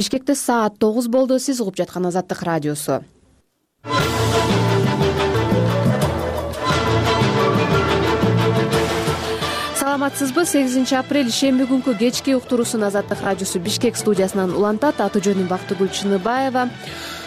Бишкекте саат 9 болду. Сиз угуп жаткан Азаттык радиосу. Саламатсызбы? 8 апрель шемби күнкү кечки уктуруусун Азаттык радиосу Бишкек студиясынан улантат. Аты жөнүм Бактыгүл Чыныбаева.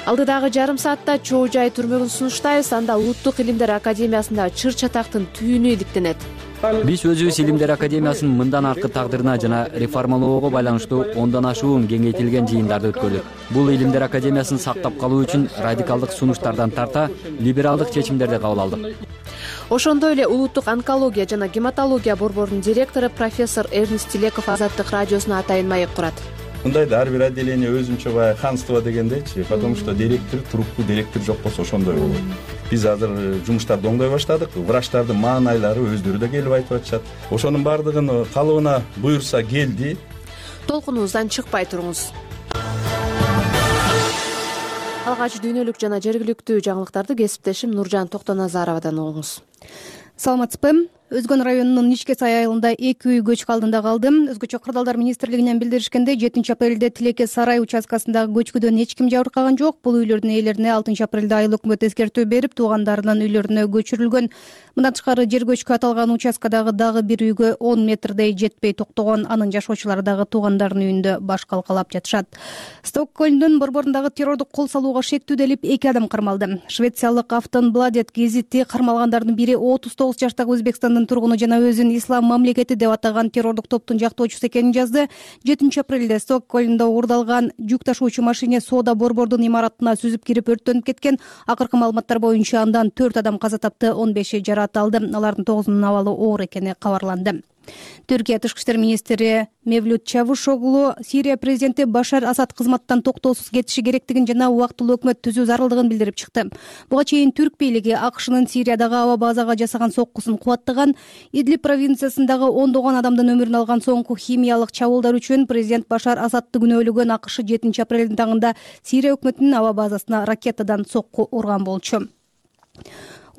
Алдыдагы жарым саатта чоо жай түрмөгүн сунуштайбыз. Анда Улуттук илимдер академиясында чыр чатактын түйүнү иликтенет. Биз өзүбүз Илимдер академиясынын мындан аркы тагдырына жана реформалоого байланыштуу 10дан ашуун кеңейтилген жыйындарды өткөрдүк. Бул Илимдер академиясын сактап калуу үчүн радикалдык сунуштардан тарта либералдык чечимдерди кабыл алдык. Ошондой эле Улуттук онкология жана гематология борборунун директору профессор Эрнест Тилеков Азаттык радиосуна атайын маек курат. Мындайда ар бир отделение өзүнчө баягы ханство дегендейчи, потому что директор, труппа директор жок болсо ошондой болот. Биз азыр жумуштарды оңдой баштадык. Врачтардын маанайлары өздөрү да келип айтып атышат. Ошонун баардыгын калыбына буйрса келди. Толкунубуздан чыкпай туруңуз. Алгач дүйнөлүк жана жергиликтүү жаңылыктарды кесиптешим Нуржан Токтоназаровадан угуңуз. Саламатсызбы? Өзгөн районунун Ичкесай айылында 2 үй көчкү алдында калды. Өзгөчө кырдаалдар министрлигинен билдиришкенде 7 апрелде Тилеке сарай участкасындагы көчкүдөн эч ким жабыркаган жок. Бул үйлөрдүн ээлерине 6 апрелде айыл өкмөт эскертүү берип, туугандарынын үйлөрүнө көчүрүлгөн. Мындан тышкары жер көчкү аталган участкадагы дагы бир үйгө 10 метрдей жетпей токтогон. Анын жашоочулары дагы туугандарынын үйүндө баш калкалап жатышат. Стокгольмдун борборундағы террордук кол салууга шектүү делип 2 адам кармалды. Швециялык Aftonbladet гезити кармалгандардын бири 39 жаштагы Өзбекстандын тургуну жана өзүн ислам мамлекети деп атаган террордук топтун жактоочусу экенин жазды. 7 апрелде Стокгольмдо уурдалган жүк ташуучу машина соода борбордун имаратына сүзүп кирип өрттөнүп кеткен. Акыркы маалыматтар боюнча андан 4 адам каза тапты, 15 жаракат алды. Алардын 9-унун абалы оор экени кабарланды. Түркия тышкы иштер министри Мевлют Чавушоглу Сирия президенти Башар Асад кызматтан токтоосуз кетиши керектигин жана убактылуу өкмөт түзүү зарылдыгын билдирип чыкты. Буга чейин Түрк бийлиги АКШнын Сириядагы аба базага жасаган соккусун кубаттаган. Идлиб провинциясындагы ондогон адамдын өмүрүн алган соңку химиялык чабуулдар үчүн президент Башар Асадты күнөөлөгөн АКШ 7 апрелдин таңында Сирия өкмөтүнүн аба базасына ракетадан сокку урган болчу.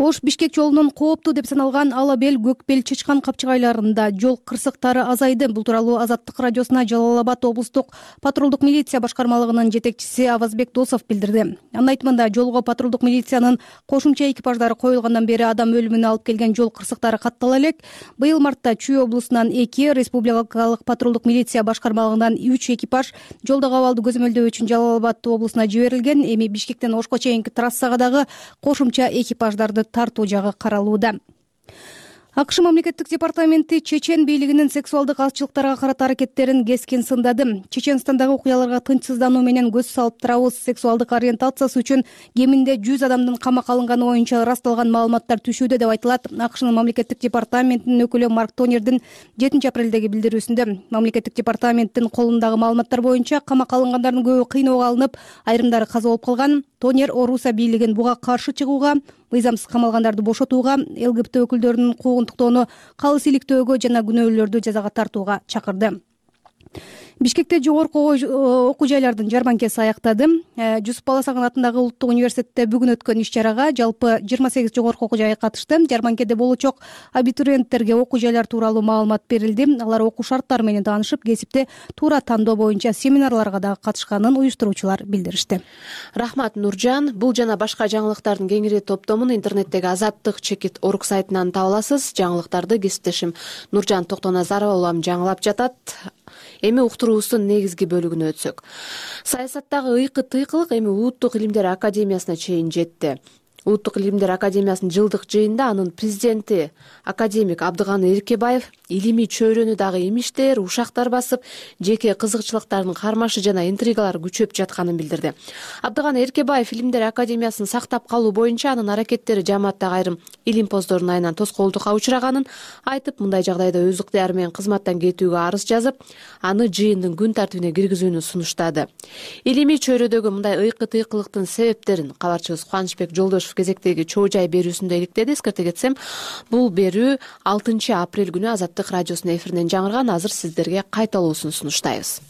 Ош-Бишкек жолунун кооптуу деп саналган Ала-Бел, Көкбел, Чычкан капчыгайларында жол кырсыктары азайды. Бул тууралуу Азаттык радиосуна Жалал Абад облустук патрулдук милиция башкармалыгынын жетекчиси Авазбек Досов билдирди. Анын айтымында, жолго патрулдук милициянын кошумча экипаждары коюлгандан бери адам өлүмүнө алып келген жол кырсыктары каттала элек. Быйыл мартта Чүй облусунан 2, республикалык патрулдук милиция башкармалыгынан 3 экипаж жолдогу абалды көзөмөлдөө үчүн Жалал Абад облусуна жиберилген. Эми Бишкектен Ошко чейинки трассага дагы кошумча экипаждарды тартуу жагы каралууда. АКШ мамлекеттик департаменти чечен бийлигинин сексуалдык азчылыктарга карата аракеттерин кескин сындады. Чеченстандагы окуяларга тынчсыздануу менен көз салып турабыз. Сексуалдык ориентациясы үчүн кеминде 100 адамдын камакка алынганы боюнча ырасталган маалыматтар түшүүдө деп айтылат. АКШнын мамлекеттик департаментинин өкүлү Марк Тонердин 7 апрелдеги билдирүүсүндө мамлекеттик департаменттин колундагы маалыматтар боюнча камакка алынгандардын көбү кыйноого алынып, айрымдары каза болуп калган. Тонер Оруса бийлигин буга каршы чыгууга, мыйзамсыз камалгандарды бошотууга, ЛГБТ өкүлдөрүнүн куугунтуктоону калыс иликтөөгө жана күнөөлүүлөрдү жазага тартууга чакырды. Бишкекте жогорку окуу жайлардын жарманкеси аяктады. Жусуп Баласагын атындагы Улуттук университетте бүгүн өткөн иш-чарага жалпы 28 жогорку окуу жай катышты. Жарманкеде болочок абитуриенттерге окуу жайлар тууралуу маалымат берилди. Алар окуу шарттары менен таанышып, кесипти туура тандоо боюнча семинарларга дагы катышканын уюштуруучулар билдиришти. Рахмат, Нуржан. Бул жана башка жаңылыктардын кеңири топтомун интернеттеги Азаттык-Чекит.org сайтынан таба аласыз. Жаңылыктарды кесиптешим Нуржан Токтоназарова улам жаңылап жатат. Эми уктуруубуздун негизги бөлүгүнө өтсөк. Саясаттагы ыйкы-тыйкылык эми Улуттук илимдер академиясына чейин жетти. Улуттук илимдер академиясынын жылдык жыйынында анын президенти академик Абдыганы Эркебаев илимий чөйрөнү дагы имиштер, ушактар басып, жеке кызыкчылыктардын кармашы жана интригалары күчөп жатканын билдирди. Абдыганы Эркебаев илимдер академиясын сактап калуу боюнча анын аракеттери жааматтагы айрым илимпоздордун айынан тоскоолдукка учураганын айтып, мындай жагдайда өз ыктыяры менен кызматтан кетүүгө арыз жазып, аны жыйындын күн тартибине киргизүүнү сунуштады. Илимий чөйрөдөгү мындай ыйкы-тыйкылыктын себептерин кабарчыбыз Кубанычбек Жолдошев кезектеги чоо жай берүүсүндө иликтеди. Эскерте кетсем, бул берүү 6 апрель күнү Азаттык радиосунун эфиринен жаңырган. Азыр сиздерге кайталоосун сунуштайбыз.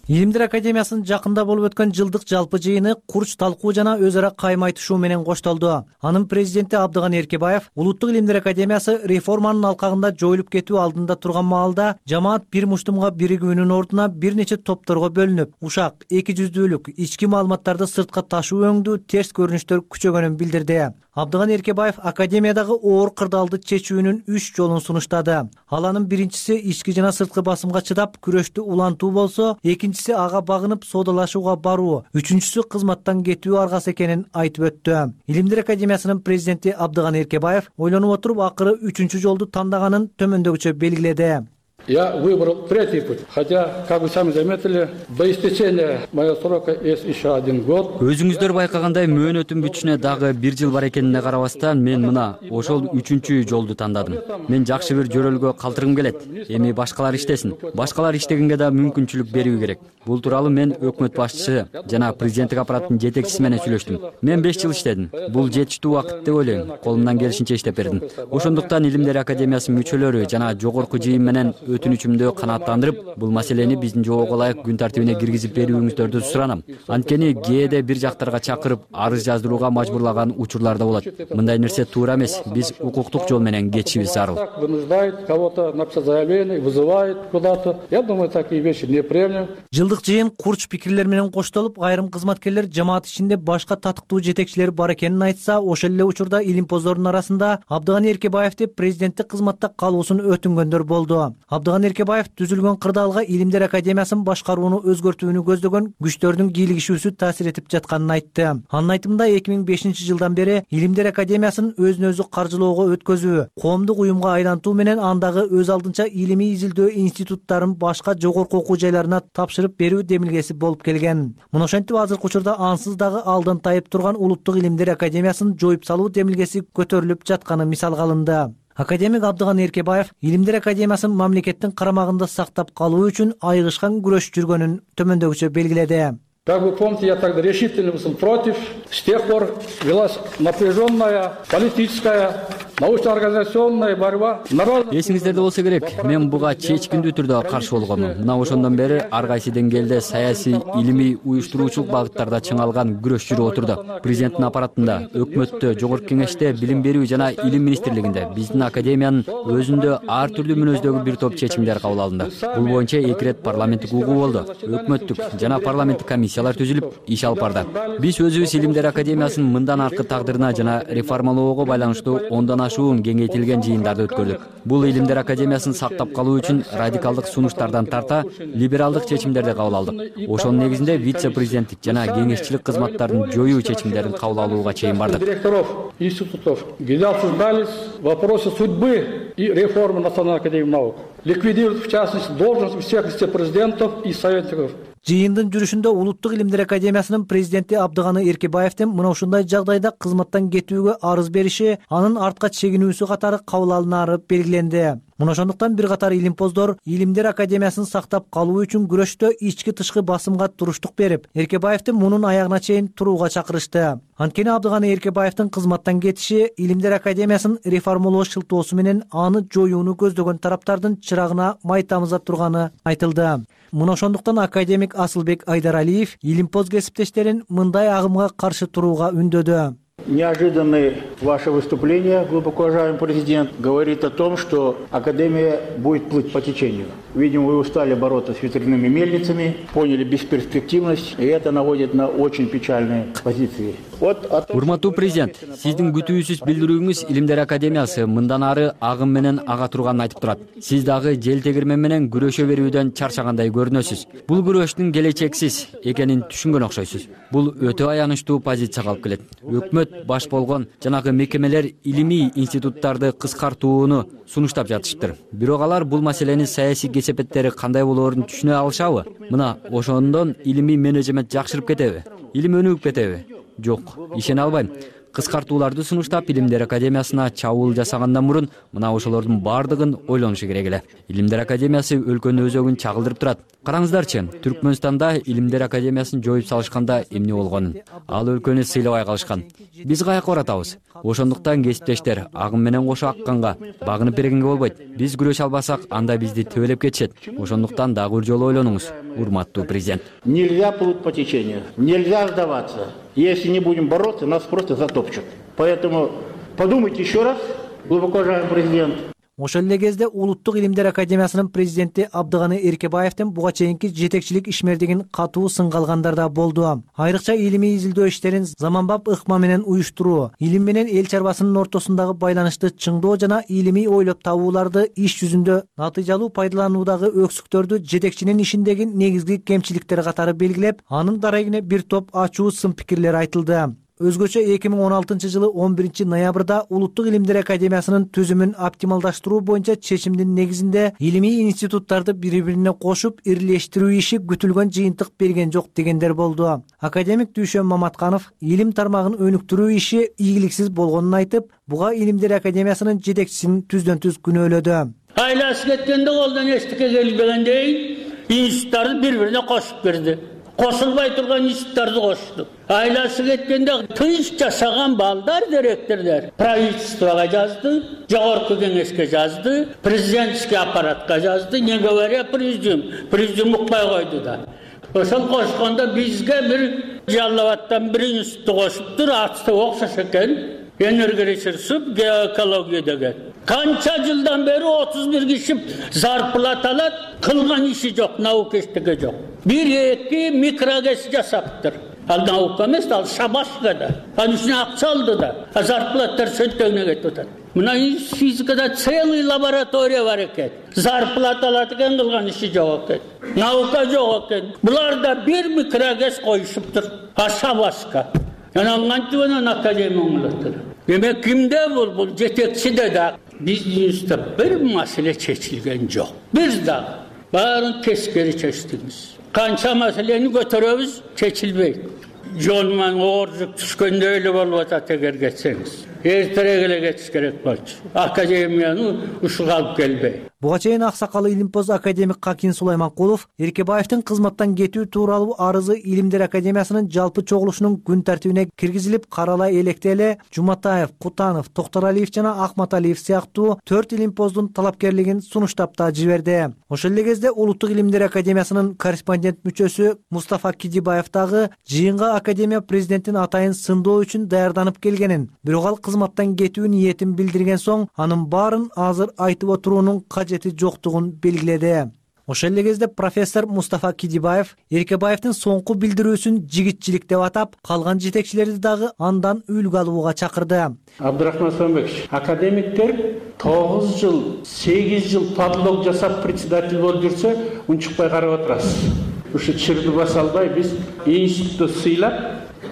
Илимдер академиясынын жакында болуп өткөн жылдык жалпы жыйыны курч талкуу жана өз ара кайым айтышуу менен коштолду. Анын президенти Абдыганы Эркебаев Улуттук илимдер академиясы реформанын алкагында жоюлуп кетүү алдында турган маалда жамаат бир муштумга биригүүнүн ордуна бир нече топторго бөлүнүп, ушак, эки жүздүүлүк, ички маалыматтарды сыртка ташуу өңдүү терс көрүнүштөр күчөгөнүн билдирди. Абдыганы Эркебаев академиядагы оор кырдаалды чечүүнүн 3 жолун сунуштады. Ал анын биринчиси ички жана сырткы басымга чыдап күрөштү улантуу болсо, экинчиси ага багынып соодалашууга баруу, үчүнчүсү кызматтан кетүү аргасы экенин айтып өттү. Илимдер академиясынын президенти Абдыганы Эркебаев ойлонуп отуруп акыры 3-чү жолду тандаганын төмөндөгүчө белгиледи. Я выбрал третий путь, хотя, как вы сами заметили, до истечения моего срока есть еще 1 год. Өзүңүздөр байкагандай мөөнөтүн бүтүшүнө дагы 1 жыл бар экенине карабастан мен мына ошол 3-чү жолду тандадым. Мен жакшы бир жөрөлгө калтыргым келет. Эми башкалар иштесин. Башкалар иштегенге да мүмкүнчүлүк берүү керек. Бул тууралуу мен өкмөт башчысы жана президенттик аппараттын жетекчиси менен сүйлөштүм. Мен 5 жыл иштедим. Бул жетиштүү убакыт деп ойлойм. Колумдан келишинче иштеп бердим. Ошондуктан Илимдер академиясынын мүчөлөрү жана жогорку жыйын менен өтүнүчүмдү канааттандырып, бул маселени биздин жоого ылайык күн тартибине киргизип берүүңүздөрдү суранам. Анткени кээде бир жактарга чакырып, арыз жаздырууга мажбурлаган учурлар да болот. Мындай нерсе туура эмес. Биз укуктук жол менен кетишибиз зарыл. Вынуждает кого-то написать заявление, вызывает куда-то. Я думаю, такие вещи неприемлемы. Жылдык жыйын курч пикирлер менен коштолуп, айрым кызматкерлер жамаат ичинде башка татыктуу жетекчилер бар экенин айтса, ошол эле учурда илимпоздордун арасында Абдыганы Эркебаевди президенттик кызматта калуусун өтүнгөндөр болду. Абдыганы Эркебаев түзүлгөн кырдаалга Илимдер академиясын башкарууну өзгөртүүнү көздөгөн күчтөрдүн кийлигишүүсү таасир этип жатканын айтты. Анын айтымында 2005 жылдан бери Илимдер академиясын өзүн өзү каржылоого өткөзүү, коомдук уюмга айлантуу менен андагы өз алдынча илимий изилдөө институттарын башка жогорку окуу жайларына тапшырып берүү демилгеси болуп келген. Мына ошентип азыркы учурда ансыз дагы алдан тайып турган Улуттук илимдер академиясын жоюп салуу демилгеси көтөрүлүп жатканы мисалга алынды. Академик Абдыганы Эркебаев Илимдер академиясын мамлекеттин карамагында сактап калуу үчүн айыгышкан күрөш жүргөнүн төмөндөгүчө белгиледи. Как вы помните, я тогда решительно был против. С тех пор велась напряженная политическая, научно-организационная борьба. Эсиңиздерде болсо керек, мен буга чечкиндүү түрдө каршы болгонмун. Мына ошондон бери ар кайсы деңгээлде саясий, илимий, уюштуруучулук багыттарда чыңалган күрөш жүрүп отурду. Президенттин аппаратында, өкмөттө, жогорку кеңеште, билим берүү жана илим министрлигинде биздин академиянын өзүндө ар түрдүү мүнөздөгү бир топ чечимдер кабыл алынды. Бул боюнча 2 рет парламенттик угуу болду. Өкмөттүк жана парламенттик комиссиялар түзүлүп, иш алып барды. Биз өзүбүз Илимдер академиясынын мындан аркы тагдырына жана реформалоого байланыштуу ондон ашуун кеңейтилген жыйындарды өткөрдүк. Бул Илимдер академиясын сактап калуу үчүн радикалдык сунуштардан тарта либералдык чечимдерди кабыл алдык. Ошонун негизинде вице-президенттик жана кеңешчилик кызматтарын жоюу чечимдерин кабыл алууга чейин бардык. Директоров институтов, где обсуждались вопросы судьбы и реформы Национальной академии наук. Ликвидировать, в частности, должность всех вице-президентов и советников. Жыйындын жүрүшүндө Улуттук илимдер академиясынын президенти Абдыганы Эркебаевдин мына ушундай жагдайда кызматтан кетүүгө арыз бериши, анын артка чегинүүсү катары кабыл алынары белгиленди. Мына ошондуктан бир катар илимпоздор Илимдер академиясын сактап калуу үчүн күрөштө ички-тышкы басымга туруштук берип, Эркебаевди мунун аягына чейин турууга чакырышты. Анткени Абдыганы Эркебаевдин кызматтан кетиши Илимдер академиясын реформалоо шылтоосу менен аны жоюуну көздөгөн тараптардын чырагына май тамыза турганы айтылды. Мына ошондуктан академик Асылбек Айдаралиев илимпоз кесиптештерин мындай агымга каршы турууга үндөдү. Неожиданное ваше выступление, глубоко уважаемый президент, говорит о том, что Академия будет плыть по течению. Видимо, вы устали бороться с ветряными мельницами, поняли бесперспективность, и это наводит на очень печальные позиции. Урматтуу президент, сиздин күтүүсүз билдирүүңүз Илимдер академиясы мындан ары агым менен ага турганын айтып турат. Сиз дагы жел тегирмен менен күрөшө берүүдөн чарчагандай көрүнөсүз. Бул күрөштүн келечексиз экенин түшүнгөн окшойсуз. Бул өтө аянычтуу позицияга алып келет. Өкмөт баш болгон жанагы мекемелер илимий институттарды кыскартууну сунуштап жатышыптыр. Бирок алар бул маселенин саясий кесепеттери кандай болоорун түшүнө алышабы? Мына ошондон илимий менеджмент жакшырып кетеби? Илим өнүгүп кетеби? Жок, ишене албайм. кыскартууларды сунуштап, Илимдер Академиясына чабуул жасагандан мурун мына ошолордун баардыгын ойлонушу керек эле. Илимдер Академиясы өлкөнүн өзөгүн чагылдырып турат. Караңыздарчы, Түркмөнстанда Илимдер Академиясын жоюп салышканда эмне болгонун? Ал өлкөнү сыйлабай калышкан. Биз каяка баратабыз? Ошондуктан кесиптештер, агым менен кошо акканга багынып бергенге болбойт. Биз күрөшө албасак, анда бизди төбөлөп кетишет. Ошондуктан дагы бир жолу ойлонуңуз, урматтуу президент. Нельзя плыть по течению, нельзя сдаваться. Если не будем бороться, нас просто затопчут. Поэтому подумайте еще раз, глубоко уважаемый президент. Ошол эле кезде Улуттук Илимдер Академиясынын президенти Абдыганы Эркебаевдин буга чейинки жетекчилик ишмердигин катуу сынга алгандар да болду. Айрыкча илимий изилдөө иштерин заманбап ыкма менен уюштуруу, илим менен эл чарбасынын ортосундагы байланышты чыңдоо жана илимий ойлоп табууларды иш жүзүндө натыйжалуу пайдалануудагы өксүктөрдү жетекчинин ишиндеги негизги кемчиликтер катары белгилеп, анын дарегине бир топ ачуу сын пикирлер айтылды. Өзгөчө 2016 жылы 11 ноябрда Улуттук Илимдер Академиясынын түзүмүн оптималдаштыруу боюнча чечимдин негизинде илимий институттарды бири-бирине кошуп ирлештирүү иши күтүлгөн жыйынтык берген жок дегендер болду. Академик Дүйшөн Маматканов илим тармагын өнүктүрүү иши ийгиликсиз болгонун айтып, буга Илимдер Академиясынын жетекчисин түздөн-түз күнөөлөдү. Айласы кеткенде колдон эчтеке келбегендей институттарды бири-бирине кошуп берди. Кошулбай турган институттарды кошту. Айласы кеткенде тыйыш жасаган балдар, директорлор правительствого жазды, жогорку кеңешке жазды, президентский аппаратка жазды. Не говоря президиум укпай койду да. Ошол кошкондо бизге бир Жалал-Абадтан бир институт кошуптур, аты окшош экен. Энергоресурсу, геоэкология деген. Канча жылдан бери 31 киши зарплата алат, кылган иши жок, наука эчтеке жок. Bir-iki mikroges жасаптыр. Ал наука эмес, ал шабашка да. Ал үчүн акча алды да. Зарплаттар сөттөгүнө кетип атат. Мына физикада целый лаборатория бар экен. Зарплата алат экен, кылган иши жок экен. Наука жок экен. Буларда бир микрогес коюшуптур. А шабашка. Анан академия оңолоттур. Демек кимде бул жетекчиде да биздин бир маселе чечилген жок. Биз дагы баарын тескери чечтибиз. Канча маселени көтөрөбүз, чечилбейт. Жол менен ооржук түшкөндө эле болуп атат эгер кетсеңиз. Эртерээк эле кетиш керек болчу. Академияны ушуга алып келбей. Буга чейин аксакалы илимпоз академик Какин Сулайманкулов Эркебаевдин кызматтан кетүү тууралуу арызы Илимдер Академиясынын жалпы чогулушунун күн тартибине киргизилип каралай электе эле Жуматаев, Кутанов, Токторалиев жана Акматалиев сыяктуу 4 илимпоздун талапкерлигин сунуштап да жиберди. Ошол эле кезде Улуттук Илимдер Академиясынын корреспондент мүчөсү Мустафа Кидибаев дагы жыйынга академия президентин атайын сындоо үчүн даярданып келгенин, бирок ал кызматтан кетүү ниетин билдирген соң анын баарын азыр айтып отуруунун кажети жоктугун белгиледи. Ошол эле кезде профессор Мустафа Кидибаев Эркебаевдин соңку билдирүүсүн жигитчилик деп атап, калган жетекчилерди дагы андан үлгү алууга чакырды. Абдрахман Сомбекович, академиктер 9 жыл, 8 жыл подлог жасап председатель болуп жүрсө, унчукпай карап отурасыз. Ушу чырды баса албай биз институтту сыйлап,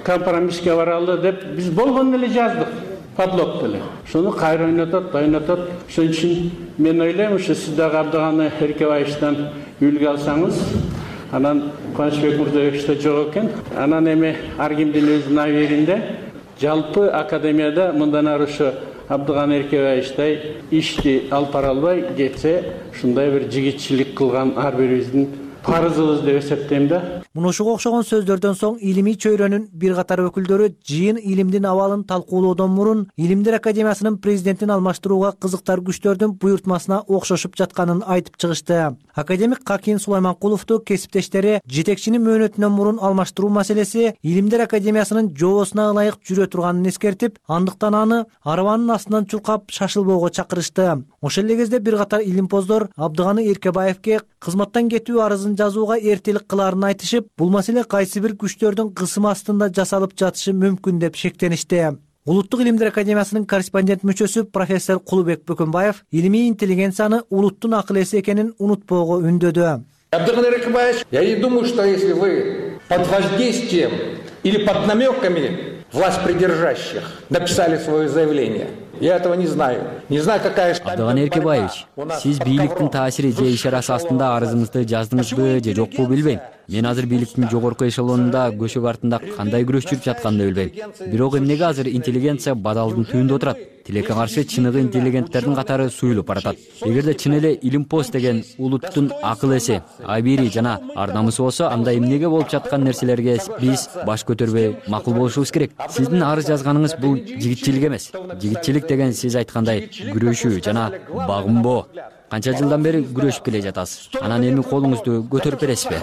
компромисске баралы деп биз болгон эле жаздык. Подлог деле. Шуну кайра ойнотот. Ошон үчүн мен ойлойм, ушу сиз дагы Абдыганы Эркебаевден үлгү алсаңыз, анан Кубанычбек Мурзабекович да жок экен. Анан эми ар кимдин өзүнүн абийиринде жалпы академияда мындан ары ушу Абдыганы Эркебаевичтай ишти алып бара албай кетсе, ушундай бир жигитчилик кылган ар бирибиздин парызыбыз деп эсептейм да. Муну ушуга окшогон сөздөрдөн соң илимий чөйрөнүн бир катар өкүлдөрү жыйын илимдин абалын талкуулоодон мурун Илимдер Академиясынын президентин алмаштырууга кызыктар күчтөрдүн буйртмасына окшошуп жатканын айтып чыгышты. Академик Какин Сулайманкуловду кесиптештери жетекчини мөөнөтүнөн мурун алмаштыруу маселеси Илимдер Академиясынын жоосуна ылайык жүрө турганын эскертип, андыктан аны арабанын астынан чуркап шашылбоого чакырышты. Ошол эле кезде бир катар илимпоздор Абдыганы Эркебаевге кызматтан кетүү арызын жазууга эртелик кылаарын айтышып, бул маселе кайсы бир күчтөрдүн кысымы астында жасалып жатышы мүмкүн деп шектеништи. Улуттук Илимдер Академиясынын корреспондент мүчөсү профессор Кулубек Бөкөнбаев илимий интеллигенцияны улуттун акыл эси экенин унутпоого үндөдү. Абдыганы Эркебаевич, я не думаю, что если вы под воздействием или под намеками власть придержащих написали свое заявление, Я этого не знаю. Не знаю, какая штаб. Абдыган Эркебаевич, сиз бийликтин таасири же иш-чарасы астында арызыңызды жаздыңызбы же жокпу билбейм. Мен азыр бийликтин жогорку эшелонунда көшөк артында кандай күрөш жүрүп жатканын билбейм. Бирок эмнеге азыр интеллигенция бадалдын түбүндө отурат? Тилекке каршы чыныгы интеллигенттердин катары суюлуп баратат. Эгерде чын эле Илимпост деген улуттун акыл эси, абийири жана ар намысы болсо, анда эмнеге болуп жаткан нерселерге биз баш көтөрбөй макул болушубуз керек. Сиздин арыз жазганыңыз бул жигитчилик эмес. Жигитчилик деген сиз айткандай күрөшүү жана багынбоо. Канча жылдан бери күрөшүп келе жатасыз. Анан эми колуңузду көтөрүп бересизби?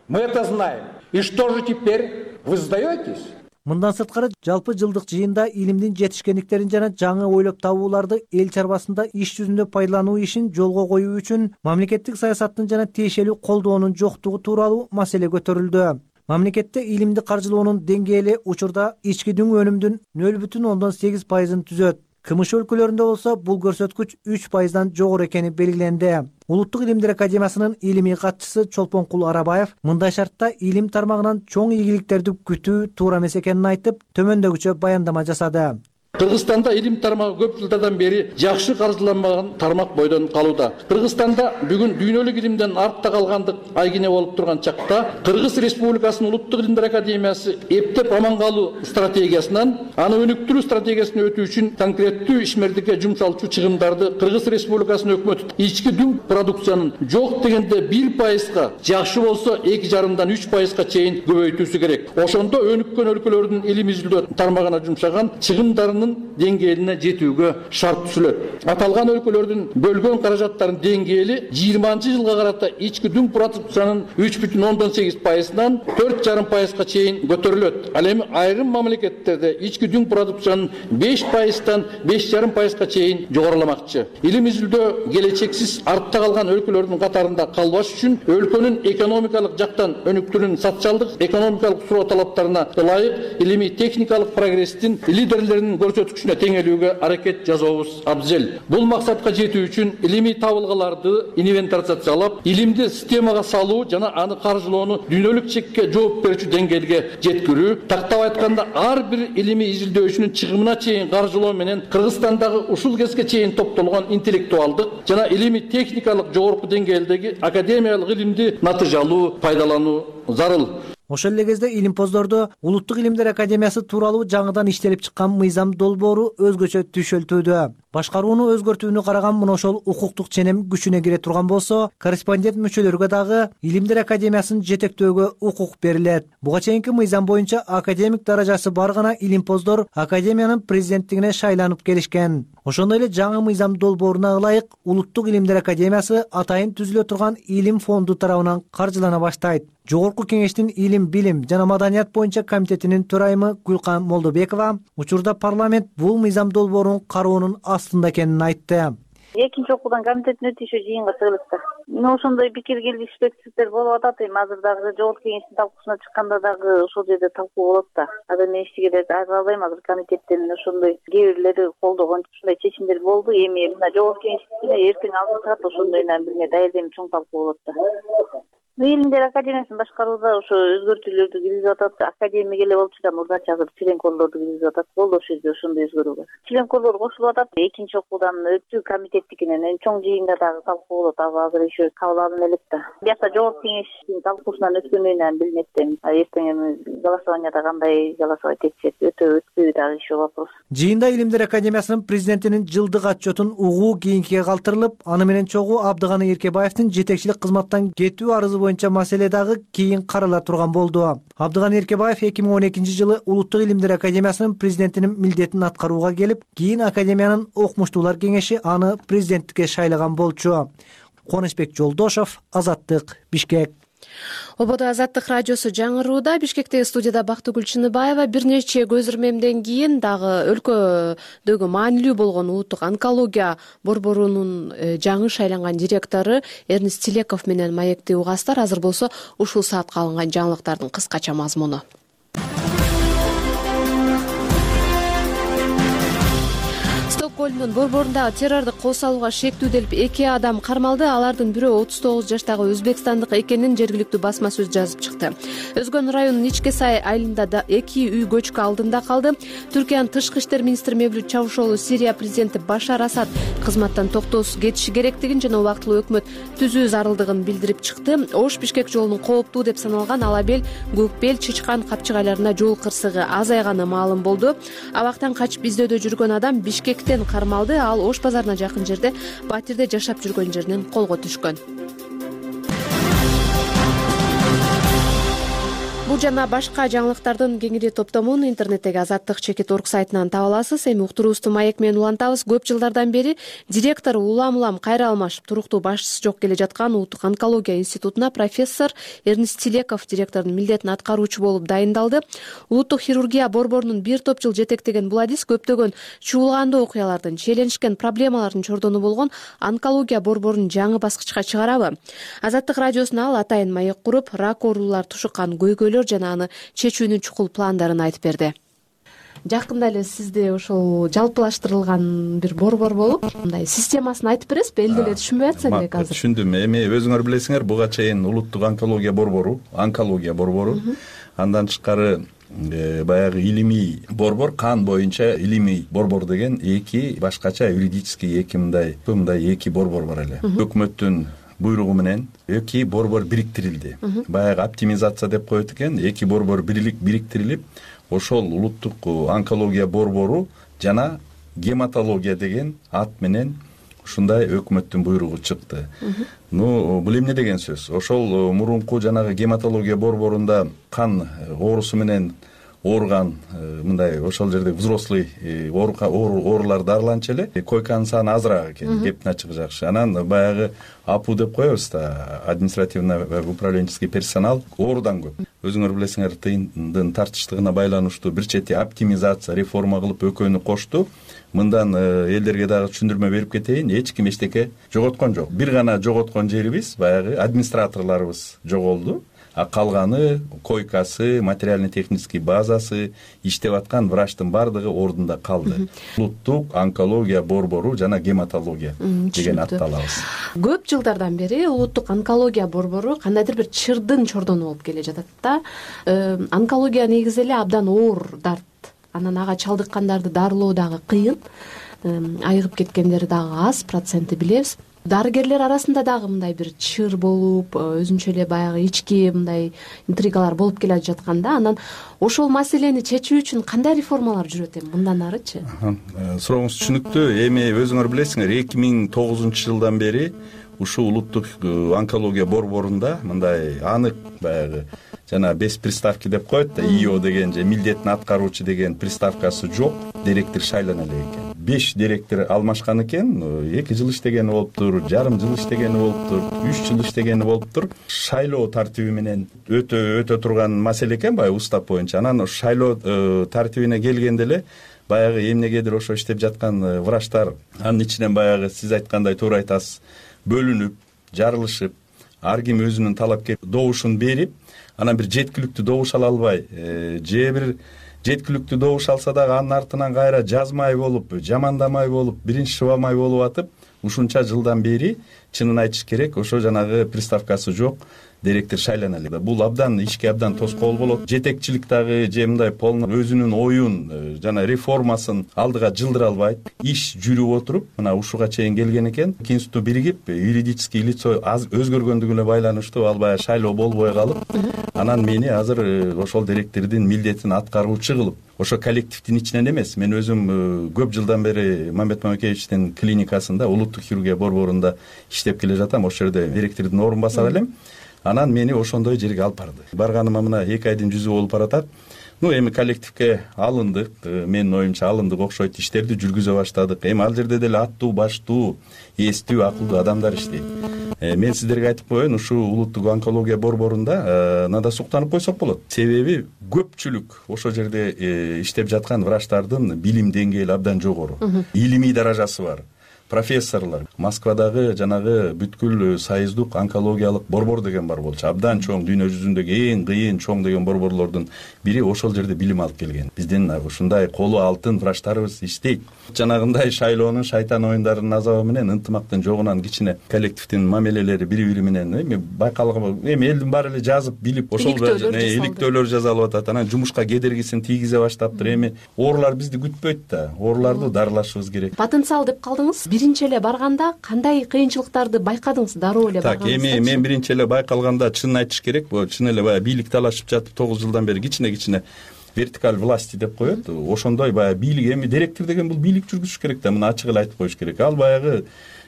Мы это знаем. И что же теперь? Вы сдаетесь? Мындан сырткары жалпы жылдык жыйында илимдин жетишкендиктерин жана жаңы ойлоп табууларды эл чарбасында иш жүзүндө пайдалануу ишин жолго коюу үчүн мамлекеттик саясаттын жана тиешелүү колдоонун жоктугу тууралуу маселе көтөрүлдү. Мамлекетте илимди каржылоонун деңгээли учурда ички дүң өнүмдүн 0,8%-ын түзөт. КМШ өлкөлөрүндө болсо бул көрсөткүч 3%-дан жогору экени белгиленди. Улуттук илимдер академиясынын илимий катчысы Чолпонкул Арабаев мындай шартта илим тармагынан чоң ийгиликтерди күтүү туура эмес экенин айтып, төмөндөгүчө баяндама жасады. Кыргызстанда илим тармагы көп жылдардан бери жакшы каржыланбаган тармак бойдон калууда. Кыргызстанда бүгүн дүйнөлүк илимден артта калгандык айгине болуп турган чакта Кыргыз Республикасынын Улуттук илимдер академиясы эптеп аман калуу стратегиясынан аны өнүктүрүү стратегиясына өтүү үчүн конкреттүү ишмердикке жумшалчу чыгымдарды Кыргыз Республикасынын өкмөтү ички дүң продукциянын жок дегенде 1%, жакшы болсо 2,5-дан 3%-га чейин көбөйтүүсү керек. Ошондо өнүккөн өлкөлөрдүн илим изилдөө тармагына жумшаган чыгымдарын деңгээлине жетүүгө шарт түзүлөт. Аталган өлкөлөрдүн бөлгөн каражаттарынын деңгээли 20-жылга карата ички дүң продукциянын 3,8%-дан 4,5%-га чейин көтөрүлөт. Ал эми айрым мамлекеттерде ички дүң продукциянын 5%-дан 5,5%-га чейин жогоруламакчы. Илим изилдөө келечексиз артта калган өлкөлөрдүн катарында калбаш үчүн өлкөнүн экономикалык жактан өнүктүүнүн социалдык экономикалык суроо талаптарына ылайык илимий техникалык прогресстин лидерлеринин көрсөткүчүнө теңелүүгө аракет жасообуз абзел. Бул максатка жетүү үчүн илимий табылгаларды инвентаризациялап, илимди системага салуу жана аны каржылоону дүйнөлүк чекке жооп берүүчү деңгээлге жеткирүү, тактап айтканда ар бир илимий изилдөөчүнүн чыгымына чейин каржылоо менен Кыргызстандагы ушул кезге чейин топтолгон интеллектуалдык жана илимий техникалык жогорку деңгээлдеги академиялык илимди натыйжалуу пайдалануу зарыл. Ошол эле кезде илимпоздордо Улуттук илимдер академиясы тууралуу жаңыдан иштелип чыккан мыйзам долбоору өзгөчө түшөлтүүдө. Башкарууну өзгөртүүнү караган мына ошол укуктук ченем күчүнө кире турган болсо, корреспондент мүчөлөргө дагы илимдер академиясын жетектөөгө укук берилет. Буга чейинки мыйзам боюнча академик даражасы бар гана илимпоздор академиянын президенттигине шайланып келишкен. Ошондой эле жаңы мыйзам долбооруна ылайык Улуттук илимдер академиясы атайын түзүлө турган илим фонду тарабынан каржылана баштайт. Жогорку кеңештин илим, билим жана маданият боюнча комитетинин төрайымы Гүлкан Молдобекова учурда парламент бул мыйзам долбоорун кароонун астында экенин айтты. Экинчи окуудан комитеттин өтүшү жыйынга чыгылат да. Мен ошондой пикир келишпектиктер болуп атат. Эми азыр дагы жогорку кеңештин талкуусуна чыкканда дагы ошол жерде талкуу болот да. Азыр мен эчтеке айта албайм. Азыр комитеттен ошондой кээ бирлери колдогон ушундай чечимдер болду. Эми мына жогорку кеңештин эртең алдырат ошондой бир не дайырдем чоң талкуу болот да. Илимдер академиясын башкарууда ошо өзгөртүүлөрдү киргизип атат. Академик эле болуп чыккан мурдачы азыр членкорлорду киргизип атат. Болду ошол жерде ошондой өзгөрүү бар. Членкорлор кошулуп атат. Экинчи окуудан өтүү комитеттикинен чоң жыйында дагы талкуу болот. Азыр еще кабыл алына элек да. Биякта жогорку кеңештин талкуусунан өткөнүнөн билинет да. Эртең эми голосованияда кандай голосовать этишет, өтпөйбү дагы еще вопрос. Жыйында Илимдер академиясынын президентинин жылдык отчетун угуу кийинкиге калтырылып, аны менен чогуу Абдыган Эркебаевдин жетекчилик кызматтан кетүү арызы боюнча маселе дагы кийин карала турган болду. Абдыган Эркебаев 2012-жылы Улуттук илимдер академиясынын президентинин милдетин аткарууга келип, кийин академиянын окумуштуулар кеңеши аны президенттикке шайлаган болчу. Кубанычбек Жолдошов, Азаттык, Бишкек. Ободо Азаттык радиосу жаңырууда. Бишкектеги студияда Бактыгүл Чыныбаева. Бир нече көз ирмемден кийин дагы өлкөдөгү маанилүү болгон улуттук онкология борборунун жаңы шайланган директору Эрнест Тилеков менен маекти угасыздар. Азыр болсо ушул саатка алынган жаңылыктардын кыскача мазмуну. көлүнүн борборундагы террордук кол салууга шектүүделип 2 адам кармалды. Алардын бирөө 39 жаштагы өзбекстандык экенин жергиликтүү басма сөз жазып чыкты. Өзгөн районунун Ичке Сай айылында 2 үй көчкү алдында калды. Түркиянын тышкы иштер министри Мевлют Чавушоглу Сирия президенти Башар Асад кызматтан токтоосуз кетиши керектигин жана убактылуу өкмөт түзүү зарылдыгын билдирип чыкты. Ош Бишкек жолунун кооптуу деп саналган Алабел, Көкбел, Чычкан капчыгайларында жол кырсыгы азайганы маалым болду. Абактан качып издөөдө жүргөн адам Бишкектен кармалды. Ал Ош базарына жакын жерде батирде жашап жүргөн жеринен колго түшкөн. Бул жана башка жаңылыктардын кеңири топтомун интернеттеги azattik.org сайтынан таба аласыз. Эми уктуруубузду маек менен улантабыз. Көп жылдардан бери директор улам кайра алмашып, туруктуу башчысы жок келе жаткан Улуттук онкология институтуна профессор Эрнест Тилеков директордун милдетин аткаруучу болуп дайындалды. Улуттук хирургия борборунун бир топ жыл жетектеген бул адис көптөгөн чуулгандуу окуялардын, челенишкен проблемалардын чордону болгон онкология борборун жаңы баскычка чыгарабы? Азаттык радиосуна ал атайын маек куруп, рак оорулар тушуккан көйгөйлөр жана аны чечүүнүн чукул пландарын айтып берди. Жакында эле сизде ошол жалпылаштырылган бир борбор болуп, мындай системасын айтып бересизби? Эл деле түшүнбөй атса керек азыр. Түшүндүм. Эми өзүңөр билесиңер, буга чейин улуттук онкология борбору, андан тышкары баягы илимий борбор, кан боюнча илимий борбор деген эки башкача юридический мындай эки борбор бар эле. Өкмөттүн буйругу менен эки борбор бириктирилди. Баягы оптимизация деп коет экен, эки борбор бириктирилип, ошол улуттук онкология борбору жана гематология деген ат менен ушундай өкмөттүн буйругу чыкты. Бул эмне деген сөз? Ошол мурунку жанагы гематология борборунда кан оорусу менен ооруган мындай ошол жерде взрослый оорулар дарыланчу эле, койканын саны азыраак экен, кептин ачыгы жакшы. Анан баягы АПУ деп коебуз да, административно-управленческий персонал оорудан көп. Өзүңөр билесиңер, тыйындын тартыштыгына байланыштуу бир чети оптимизация, реформа кылып экөөнү кошту. Мындан элдерге дагы түшүндүрмө берип кетейин, эч ким эчтеке жоготкон жок. Бир гана жоготкон жерибиз баягы администраторлорубуз жоголду. А калганы койкасы, материально-технический базасы, иштеп аткан врачтын бардыгы ордунда калды. Улуттук онкология борбору жана гематология деген атты алабыз. Көп жылдардан бери улуттук онкология борбору кандайдыр бир чырдын чордону болуп келе жатат да. Онкология негизи эле абдан оор дарт. Анан ага чалдыккандарды дарылоо дагы кыйын. Айыгып кеткендери дагы аз, проценти билебиз. Дарыгерлер арасында дагы мындай бир чыр болуп, өзүнчө эле баягы ички мындай интригалар болуп келе жатканда, анан ошол маселени чечүү үчүн кандай реформалар жүрөт эми мындан арычы? Сурооңуз түшүнүктүү. Эми өзүңөр билесиңер, 2009-жылдан бери ушул улуттук онкология борборунда мындай анык баягы жана без приставки деп коет да, ИО деген же милдетин аткаруучу деген приставкасы жок, директор шайлана элек экен. 5 директор алмашкан экен, 2 жыл иштегени болуптур, жарым жыл иштегени болуптур, 3 жыл иштегени болуптур. Шайлоо тартиби менен өтө турган маселе экен баягы устав боюнча. Анан шайлоо тартибине келгенде эле баягы эмнегедир ошо иштеп жаткан врачтар анын ичинен баягы сиз айткандай туура айтасыз, бөлүнүп, жарылышып, ар ким өзүнүн талапкер добушун берип, анан бир жеткиликтүү добуш ала албай, же бир жеткиликтүү добуш алса дагы анын артынан кайра жазмай болуп, жамандамай болуп, биринчи шыбамай болуп атып, ушунча жылдан бери чынын айтыш керек, ошо жанагы приставкасы жок директор шайлана элек. Бул абдан ишке абдан тоскоол болот. Жетекчилик дагы же мындай полный өзүнүн оюн жана реформасын алдыга жылдыра албайт. Иш жүрүп отуруп, мына ушуга чейин келген экен. Институту биригип, юридический лицо аз өзгөргөндүгүнө байланыштуу ал баягы шайлоо болбой калып, анан мени азыр ошол директордун милдетин аткаруучу кылып, ошо коллективдин ичинен эмес, мен өзүм көп жылдан бери Мамбет Мамекеевичтин клиникасында, улуттук хирургия борборунда иштеп келе жатам. Ошол жерде директордун орун басары элем. Анан мени ошондой жерге алып барды. Барганыма мына 2 айдын жүзү болуп баратат. Эми коллективге алындык, менин оюмча алындык окшойт, иштерди жүргүзө баштадык. Эми ал жерде деле аттуу, баштуу, эстүү, акылдуу адамдар иштейт. Мен сиздерге айтып коеюн, ушул улуттук онкология борборунда надо суктанып койсок болот. Себеби көпчүлүк ошол жерде иштеп жаткан врачтардын билим деңгээли абдан жогору. Илимий даражасы бар. профессорлор. Москвадагы жанагы бүткүл союздук онкологиялык борбор деген бар болчу. Абдан чоң, дүйнө жүзүндөгү эң кыйын чоң деген борборлордун бири ошол жерде билим алып келген. Биздин ушундай колу алтын врачтарыбыз иштейт. Жанагындай шайлоонун, шайтан оюндарынын азабы менен ынтымактын жогунан кичине коллективдин мамилелери бири-бири менен байкалган, элдин баары эле жазып билип ошол иликтөөлөр жасалып атат. Анан жумушка кедергисин тийгизе баштаптыр. Эми оорулар бизди күтпөйт да. Ооруларды дарылашыбыз керек. Потенциал деп калдыңыз. Биринчи эле барганда кандай кыйынчылыктарды байкадыңыз? Дароо эле барганда. Так, эми мен биринчи эле байкалганда чынын айтыш керек, чын эле баягы бийлик талашып жатып 9 жылдан бери кичине вертикаль власти деп коет. Ошондой баягы бийлик, эми директор деген бул бийлик жүргүзүш керек да, муну ачык эле айтып коюш керек. Ал баягы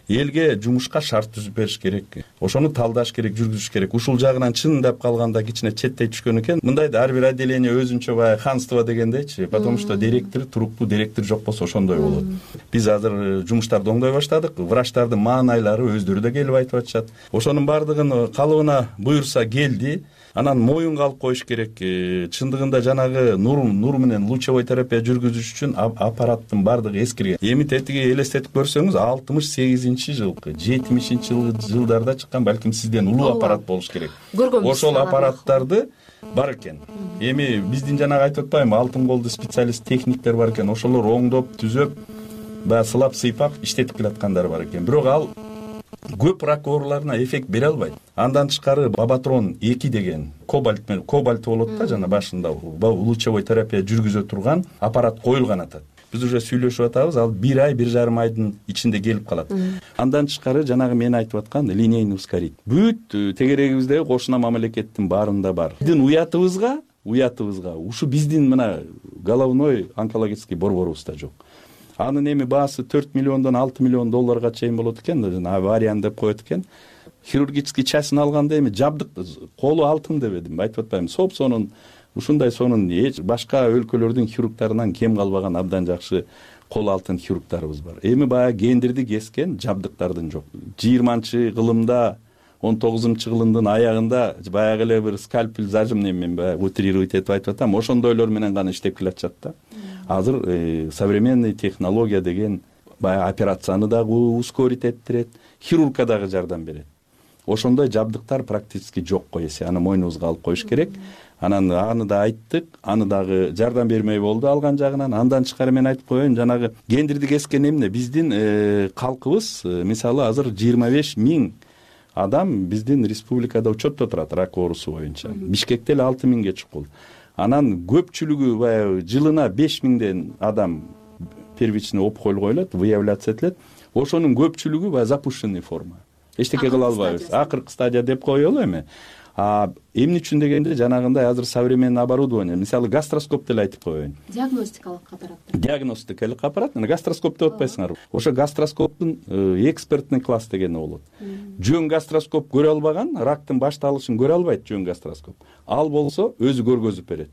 элге жумушка шарт түзүп бериш керек. Ошону талдаш керек, жүргүзүш керек. Ушул жагынан чындап калганда кичине четтей түшкөн экен. Мындай да ар бир отделение өзүнчө баягы ханство дегендейчи, потому что директор, туруктуу директор жок болсо ошондой болот. Биз азыр жумуштарды оңдой баштадык. Врачтардын маанайлары өздөрү да келип айтып атышат. Ошонун баардыгын калыбына буюрса келди. Анан моюнга алып коюш керек. Чындыгында жанагы нур менен лучевой терапия жүргүзүш үчүн аппараттын баардыгы эскирген. Эми тетиги элестетип көрсөңүз 68-жылкы, 70-жылдарда чыккан, балким сизден улуу аппарат болуш керек. Ошол аппараттарды бар экен. Эми биздин жанагы айтып атпаймынбы, алтын колду специалист техниктер бар экен. Ошолор оңдоп, түзөп, баягы сылап, сыйпап иштетип келаткандар бар экен. Бирок ал көп рак ооруларына эффект бере албайт. Андан тышкары Бабатрон 2 деген кобальт болот да, жана башында лучевой терапия жүргүзө турган аппарат коюлган атат. Биз уже сүйлөшүп атабыз, ал 1 ай, 1,5 айдын ичинде келип калат. Андан тышкары жанагы мен айтып аткан линейный ускоритель. Бүт тегерегибиздеги кошуна мамлекеттин баарында бар. Биздин уятыбызга ушу биздин мына головной онкологический борборубузда жок. Анын эми баасы 4 миллиондон 6 миллион долларга чейин болот экен, авариян деп коет экен. Хирургический частын алганда эми жабдык колу алтын дебедим, айтып атпаймынбы. Сонун ушундай сонун башка өлкөлөрдүн хирургтарынан кем калбаган абдан жакшы кол алтын хирургтарыбыз бар. Эми баягы гендирди кескен жабдыктардын жок. 20-кылымда 19-кылымдын аягында баягы эле бир скальпель зажимный, мен баягы утрировать этип айтып атам, ошондойлор менен гана иштеп келатышат да. Азыр современный технология деген баягы операцияны дагы ускорить эттирет, хирургка дагы жардам берет. Ошондой жабдыктар практически жок койеси, аны мойнубузга алып коюш керек. Анан аны да айттык, аны дагы жардам бермей болду алган жагынан. Андан тышкары мен айтып коеюн, жанагы гендирди кескен эмне биздин калкыбыз, мисалы азыр 25 000 адам биздин республикада учетто турат рак оорусу боюнча. Бишкекте эле 6 000ге чукул. Анан көпчүлүгү баягы жылына 5 000 адам первичный опухоль коюлат, выявляция этилет. Ошонун көпчүлүгү баягы запущенный форма. Эчтеке кыла албайбыз. Акыркы стадия деп коелу эми. Эмне үчүн дегенде жанагындай азыр современный оборудование, мисалы гастроскоп деле айтып коеюн. Диагностикалык аппарат. Диагностикалык аппарат, гастроскоп деп атпайсыңарбы? Ошо гастроскоптун экспертный класс дегени болот. Жөн гастроскоп көрө албаган, рактын башталышын көрө албайт жөн гастроскоп. Ал болсо өзү көргөзүп берет.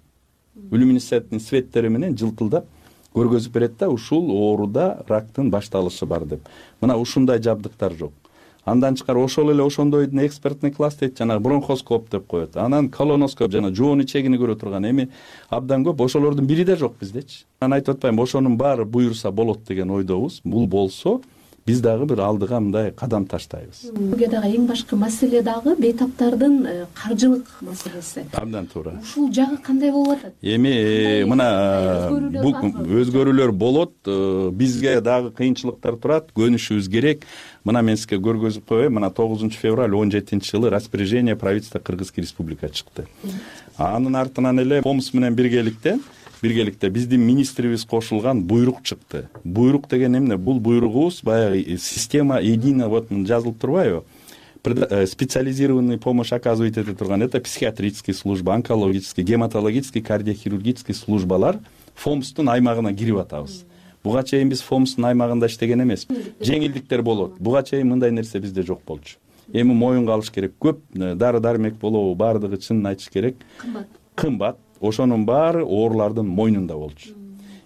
Люминесцентный светтери менен жылтылдап көргөзүп берет да, ушул ооруда рактын башталышы бар деп. Мына ушундай жабдыктар жок. Андан тышкары ошол эле ошондойдун экспертный класс дейт, жана бронхоскоп деп коет. Анан колоноскоп, жана жоон ичегини көрө турган эми абдан көп. Ошолордун бири да жок биздечи. Мен айтып атпаймынбы, ошонун баары буюрса болот деген ойдобуз. Бул болсо биз дагы бир алдыга мындай кадам таштайбыз. Буга дагы эң башкы маселе дагы бейтаптардын каржылык маселеси. Абдан туура. Ушул жагы кандай болуп атат? Эми мына бул өзгөрүүлөр болот, бизге дагы кыйынчылыктар турат, көнүшүбүз керек. Мына мен сизге көргөзүп коеюн, мына 9 февраль 17-жылы распоряжение правительства Кыргызской республика чыкты. Анын артынан эле ФОМС менен биргеликте биздин министрибиз кошулган буйрук чыкты. Буйрук деген эмне? Бул буйругубуз баягы система единая, вот жазылып турбайбы? Специализированный помощь оказывает эте турган, это психиатрический служба, онкологический, гематологический, кардиохирургический службалар ФОМСтун аймагына кирип атабыз. Буга чейин биз ФОМСтун аймагында иштеген эмес. Жеңилдиктер болот. Буга чейин мындай нерсе бизде жок болчу. Эми моюнга алыш керек. Көп дары-дармек болобу, баардыгы чынын айтыш керек. Кымбат. Ошонун баары оорулардын мойнунда болчу.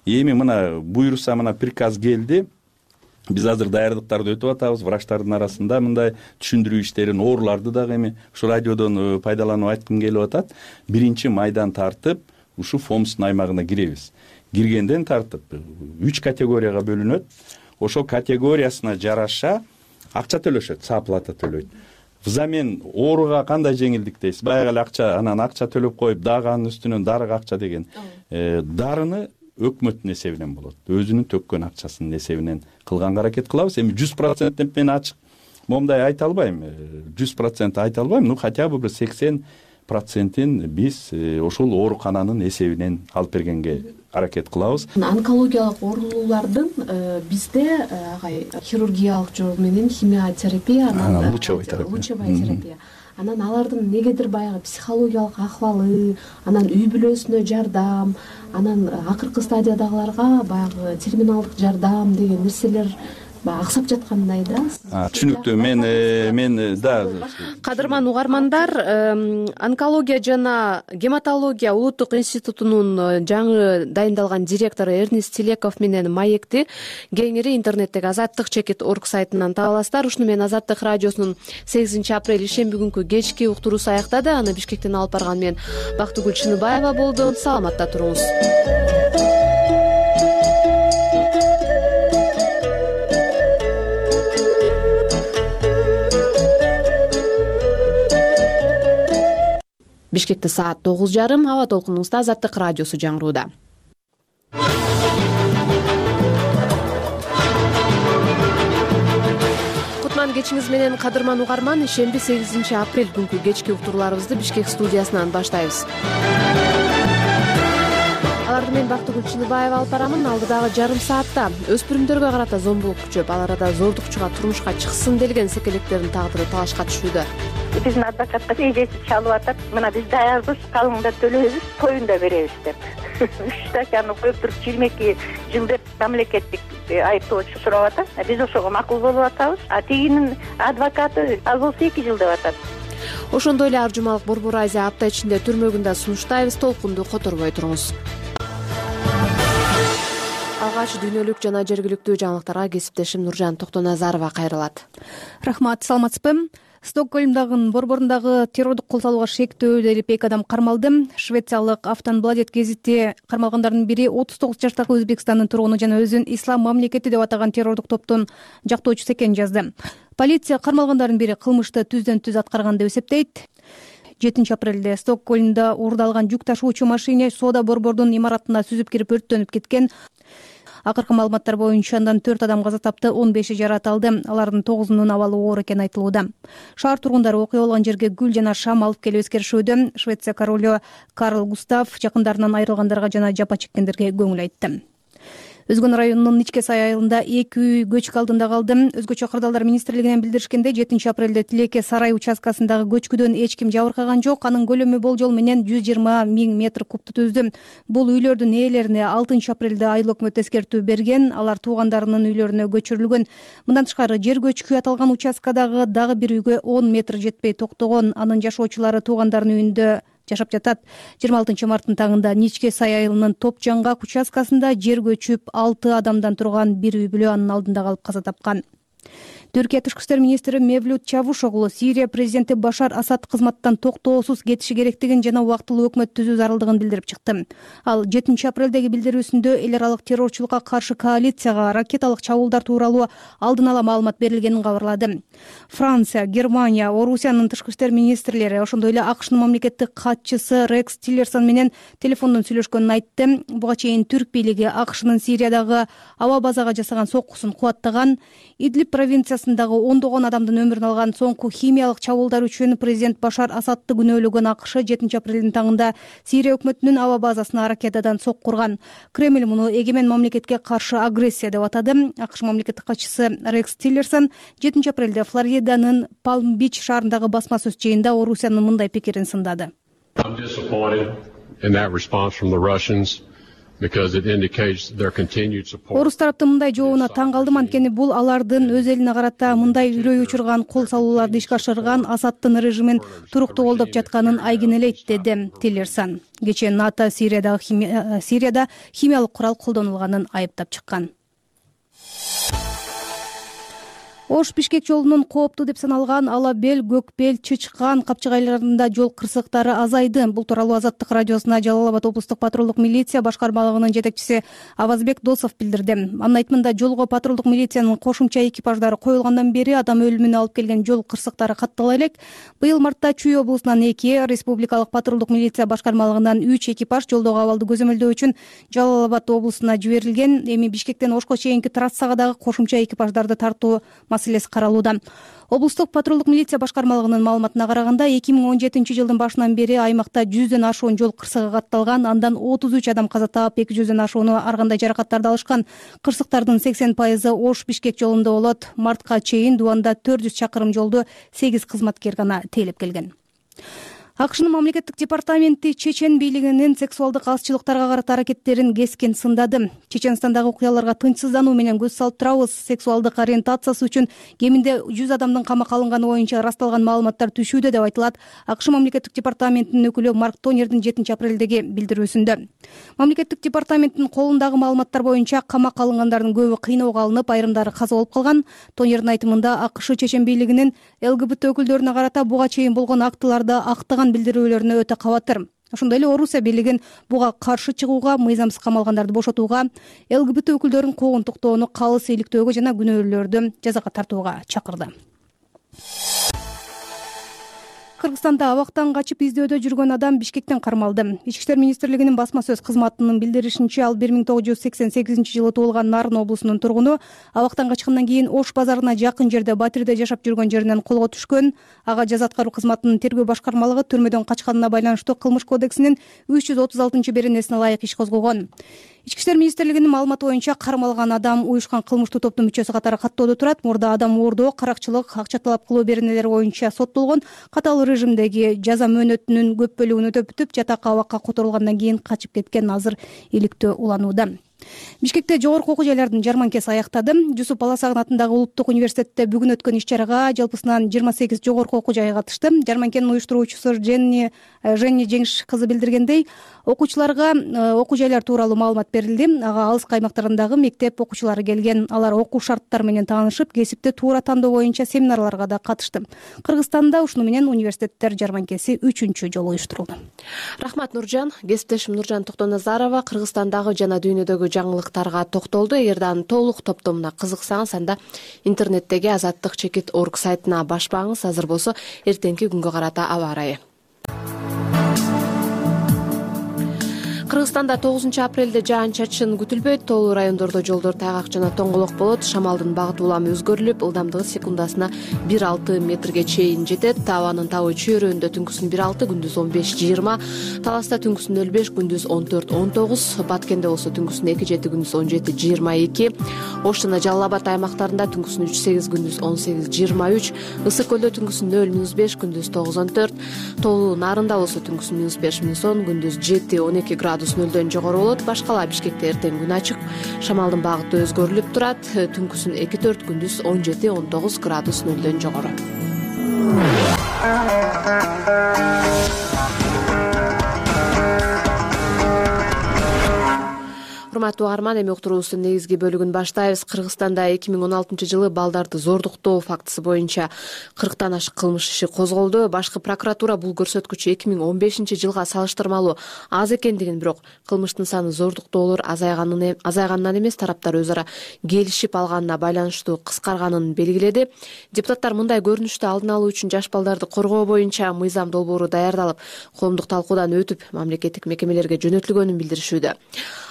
Эми мына буйруса, мына приказ келди. Биз азыр даярдыктарды өтүп атабыз. Врачтардын арасында мындай түшүндүрүү иштерин, ооруларды дагы эми ушу радиодон пайдаланып айткым келип атат. 1-майдан тартып ушу ФОМСтун аймагына киребиз. Киргенден тартып 3 категорияга бөлүнөт. ошол категориясына жараша акча төлөшөт, сооплата төлөйт. Взамен ооруга кандай жеңилдик дейсиз? Баягы эле акча, анан акча төлөп коюп, дагы анын үстүнөн дарыга акча деген. Дарыны өкмөттүн эсебинен болот. Өзүнүн төккөн акчасынын эсебинен кылганга аракет кылабыз. Эми 100% деп мен ачык момундай айта албайм. 100% айта албайм, хотя бы бир 80%ин биз ошол оорукананын эсебинен алып бергенге аракет кылабыз. Онкологиялык оорулуулардын бизде хирургиялык жол менен химиотерапия, анан лучевая терапия. Анан алардын негедир баягы психологиялык акыбалы, анан үй бүлөсүнө жардам, анан акыркы стадиядагыларга баягы терминалдык жардам деген нерселер аксап жаткандай да. Түшүнүктүү. Мен да. Кадырман угармандар, онкология жана гематология улуттук институтунун жаңы дайындалган директору Эрнест Телеков менен маекти кеңири интернеттеги azattik.org сайтынан таба аласыздар. Ушуну менен Азаттык радиосунун 8-апрель ишемби күнкү кечки уктуруусу аяктады. Аны Бишкектен алып барган мен Бактыгүл Чыныбаева болду. Саламатта туруңуз. Бишкекте саат 9:30. Аба толкунубузда Азаттык радиосу жаңырууда. Кутман кечиңиз менен кадырман угарман, ишемби 8-апрель күнкү кечки уктурууларыбызды Бишкек студиясынан баштайбыз. Аларды мен Бактыгүл Чыныбаева алып барамын. Алдыдагы жарым саатта өспүрүмдөргө карата зомбулук күчөп, ал арада зордукчуга турмушка чыксын делген секелектердин тагдыры талашка түшүүдө. Биздин адвокатка эжеси чалып атат, мына биз даярбыз, калыңда төлөйбүз, тоюн да беребиз деп. 3 статьяны коюп туруп 22 жыл деп мамлекеттик айыптоочу сурап атат. Биз ошого макул болуп атабыз. Тигинин адвокаты ал болсо 2 жыл деп атат. Ошондой эле Аржумалык Борбор Азия апта ичинде түрмөгүндө сунуштайбыз. Толкунду которбой туруңуз. Алгач дүйнөлүк жана жергиликтүү жаңылыктарга кесиптешим Нуржан Токтоназарова кайрылат. Рахмат, саламатсызбы? Стокгольмдагы борборундагы террордук кол салууга шектүү делип 2 адам кармалды. Швециялык Автонбладет гезити кармалгандардын бири 39 жаштагы Өзбекстандын тургуну жана өзүн ислам мамлекети деп атаган террордук топтун жактоочусу экенин жазды. Полиция кармалгандардын бири кылмышты түздөн-түз аткарган деп эсептейт. 7-апрелде Стокгольмдо уурдалган жүк ташуучу машина соода борбордун имаратына сүзүп кирип өрттөнүп кеткен. Акыркы маалыматтар боюнча андан 4 адам каза тапты, 15 жаракат алды. Алардын 9-унун абалы оор экени айтылууда. Шаар тургундары окуя болгон жерге гүл жана шам алып келип эскеришүүдө. Швеция королу Карл Густав жакындарынан айрылгандарга жана жапа чеккендерге көңүл айтты. Өзгөн районунун Ичке сай айылында 2 үй көчкү алдында калды. Өзгөчө кырдаалдар министрлигинен билдиришкенде 7-апрелде Тилеке сарай участкасындагы көчкүдөн эч ким жабыркаган жок. Анын көлөмү болжол менен 120 000 метр кубту түздү. Бул үйлөрдүн ээлерине 6-апрелде айыл өкмөтү эскертүү берген. Алар туугандарынын үйлөрүнө көчүрүлгөн. Мындан тышкары жер көчкү аталган участкадагы дагы бир үйгө 10 метр жетпей токтогон. Анын жашоочулары туугандарынын үйүндө жашап жатат. 26 марттын таңында Ничке сай айылынын Топжаңгак участкасында жер көчүп 6 адамдан турган бир үй бүлө анын алдында калып каза тапкан. Түркия тышкы иштер министри Мевлют Чавушоглу Сирия президенти Башар Асад кызматтан токтоосуз кетиши керектигин жана убактылуу өкмөт түзүү зарылдыгын билдирип чыкты. Ал 7-апрелдеги билдирүүсүндө эл аралык террорчулукка каршы коалицияга ракеталык чабуулдар тууралуу алдын ала маалымат берилгенин кабарлады. Франция, Германия, Орусиянын тышкы иштер министрлери, ошондой эле АКШнын мамлекеттик катчысы Рекс Тиллерсон менен телефондон сүйлөшкөнүн айтты. Буга чейин түрк бийлиги АКШнын Сириядагы аба базага жасаган соккусун кубаттаган. Идлиб провинциясындагы ондогон адамдын өмүрүн алган соңку химиялык чабуулдар үчүн президент Башар Асадты күнөөлөгөн АКШ 7-апрелдин таңында Сирия өкмөтүнүн аба базасына ракетадан сокку урган. Кремль муну эгемен мамлекетке каршы агрессия деп атады. АКШ мамлекеттик катчысы Рекс Тиллерсон 7-апрелде Флориданын Палм-Бич шаарындагы басма сөз жыйында Орусиянын мындай пикирин сындады. Орус тараптын мындай жообуна таң калдым, анткени бул алардын өз элине карата мындай үрөй учурган кол салууларды ишке ашырган Асадтын режимин туруктуу колдоп жатканын айгинелейт, деди Тиллерсон. Кечээ НАТО Сирияда химиялык курал колдонулганын айыптап чыккан. Ош-Бишкек жолунун кооптуу деп саналган Ала Бел, Көкбел, Чычкан капчыгайларында жол кырсыктары азайды. Бул тууралуу Азаттык радиосуна Жалал Абад облустук патрулдук милиция башкармалыгынын жетекчиси Авазбек Досов билдирди. Анын айтымында жолго патрулдук милициянын кошумча экипаждары коюлгандан бери адам өлүмүнө алып келген жол кырсыктары каттала элек. Быйыл мартта Чүй облусунан 2, республикалык патрулдук милиция башкармалыгынан 3 экипаж жолдогу абалды көзөмөлдөө үчүн Жалал Абад облусуна жиберилген. Эми Бишкектен Ошко чейинки трассага дагы кошумча экипаждарды тартуу маселеси каралууда. Облустук патрулдук милиция башкармалыгынын маалыматына караганда 2017-жылдын башынан бери аймакта 100дөн ашуун жол кырсыгы катталган. Андан 33 адам каза таап, 200дөн ашууну ар кандай жаракаттарды алышкан. Кырсыктардын 80% Ош-Бишкек жолунда болот. Мартка чейин Дубанда 400 чакырым жолду 8 кызматкер гана тейлеп келген. АКШнын мамлекеттик департаменти Чечен бийлигинин сексуалдык азчылыктарга карата аракеттерин кескен сындады. Чеченстандагы окуяларга тынчсыздануу менен көз салып турабыз. Сексуалдык ориентациясы үчүн кеминде 100 адамдын камакка алынганы боюнча ырасталган маалыматтар түшүүдө деп айтылат АКШ мамлекеттик департаментинин өкүлү Марк Тонердин 7-апрелдеги билдирүүсүндө. Мамлекеттик департаменттин колундагы маалыматтар боюнча камакка алынгандардын көбү кыйноого алынып, айрымдары каза болуп калган. Тонердин айтымында АКШ Чечен бийлигинин ЛГБТ өкүлдөрүнө карата буга чейин болгон актыларды актаган билдирүүлөрүнө өтө кабатыр. Ошондой эле Орусия бийлигин буга каршы чыгууга, мыйзамсыз камалгандарды бошотууга, ЛГБТ өкүлдөрүн куугунтуктоону калыс иликтөөгө жана күнөөлүүлөрдү жазага тартууга чакырды. Кыргызстанда абактан качып издөөдө жүргөн адам Бишкектен кармалды. Ички иштер министрлигинин басма сөз кызматынын билдиришинче, ал 1988-жылы туулган Нарын облусунун тургуну. Абактан качкандан кийин Ош базарына жакын жерде Батирде жашап жүргөн жеринен колго түшкөн. Ага жаза аткаруу кызматынын тергөө башкармалыгы түрмөдөн качканына байланыштуу Кылмыш кодексинин 336-беренесине ылайык иш козгогон. Ички иштер министрлигинин маалыматы боюнча кармалган адам уюшкан кылмыштуу топтун мүчөсү катары каттоодо турат. Мурда адам оордоо, каракчылык, акча талап кылуу беренелери боюнча соттолгон. Катаал режимдеги жаза мөөнөтүнүн көп бөлүгүн өтөп бүтүп, жатакка абакка которулгандан кийин качып кеткен. Азыр иликтөө уланууда. Бишкекте жогорку окуу жайлардын жарманкеси аяктады. Жусуп Баласагын атындагы улуттук университетте бүгүн өткөн иш-чарага жалпысынан 28 жогорку окуу жай катышты. Жарманкенин уюштуруучусу Женни Жеңиш кызы билдиргендей, окуучуларга окуу жайлар тууралуу маалымат берилди. Ага алыс аймактарындагы мектеп окуучулары келген. Алар окуу шарттары менен таанышып, кесипти туура тандоо боюнча семинарларга да катышты. Кыргызстанда ушуну менен университеттер жарманкеси 3-чү жолу уюштурулду. Рахмат Нуржан. Кесиптешим Нуржан Токтоназарова Кыргызстандагы жана дүйнөдөгү жаңылыктарга токтолду. Эгерде анын толук топтомуна кызыксаңыз, анда интернеттеги azattik.org сайтына башпаңыз. Азыр болсо эртеңки күнгө карата аба ырайы. Кыргызстанда 9-апрелде жаан-чачын күтүлбөйт. Тоолуу райондордо жолдор тайгак жана тоңголок болот. Шамалдын багыты улам өзгөрүлүп, ылдамдыгы секундасына 1,6 метрге чейин жетет. Абанын табы чөйрөндө түнкүсүн 1,6, күндүз 15-20, Таласта түнкүсүн 05, күндүз 14-19, Баткенде болсо түнкүсүн 2,7, күндүз 17-22, Ош жана Жалал Абад аймактарында түнкүсүн 3,8, күндүз 18-23, Ысык көлдө түнкүсүн 0-5, күндүз 9-14, Тоолуу Нарында болсо түнкүсүн 5-10, күндүз 7-12 градус нөлдөн жогору болот. Башкала Бишкекте эртең күн ачык. Шамалдын багыты өзгөрүлүп турат. Түнкүсүн 2-4, күндүз 17-19 градус нөлдөн жогору. Урматтуу угарман, эми уктуруубуздун негизги бөлүгүн баштайбыз. Кыргызстанда 2016-жылы балдарды зордуктоо фактысы боюнча 40тан ашык кылмыш иши козголду. Башкы прокуратура бул көрсөткүч 2015-жылга салыштырмалуу аз экендигин, бирок кылмыштын саны зордуктоолор азайганынан эмес, тараптар өз ара келишип алганына байланыштуу кыскарганын белгиледи. Депутаттар мындай көрүнүштү алдын алуу үчүн жаш балдарды коргоо боюнча мыйзам долбоору даярдалып, коомдук талкуудан өтүп, мамлекеттик мекемелерге жөнөтүлгөнүн билдиришүүдө.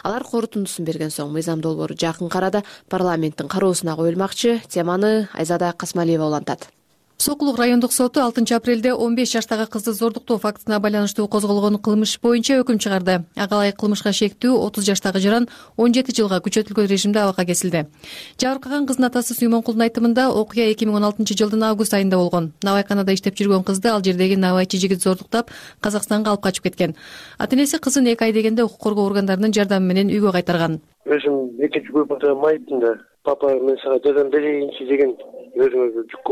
Алар корутундусун берген соң мыйзам долбоору жакын арада парламенттин кароосуна коюлмакчы. Теманы Айзада Касмалиева улантат. Сокулук райондук соту 6-апрелде 15 жаштагы кызды зордуктоо фактысына байланыштуу козголгон кылмыш боюнча өкүм чыгарды. Ага ылайык кылмышка шектүү 30 жаштагы жаран 17 жылга күчөтүлгөн режимде абакка кесилди. Жабыркаган кыздын атасы Сүймөнкулдун айтымында окуя 2016-жылдын август айында болгон. Навайканада иштеп жүргөн кызды ал жердеги навайчы жигит зордуктап Казакстанга алып качып кеткен. Ата-энеси кызын 2 ай дегенде укук коргоо органдарынын жардамы менен үйгө кайтарган. Өзүм экинчи группада майыптын да. Папа мен сага жардам берейинчи деген өзүмө жүк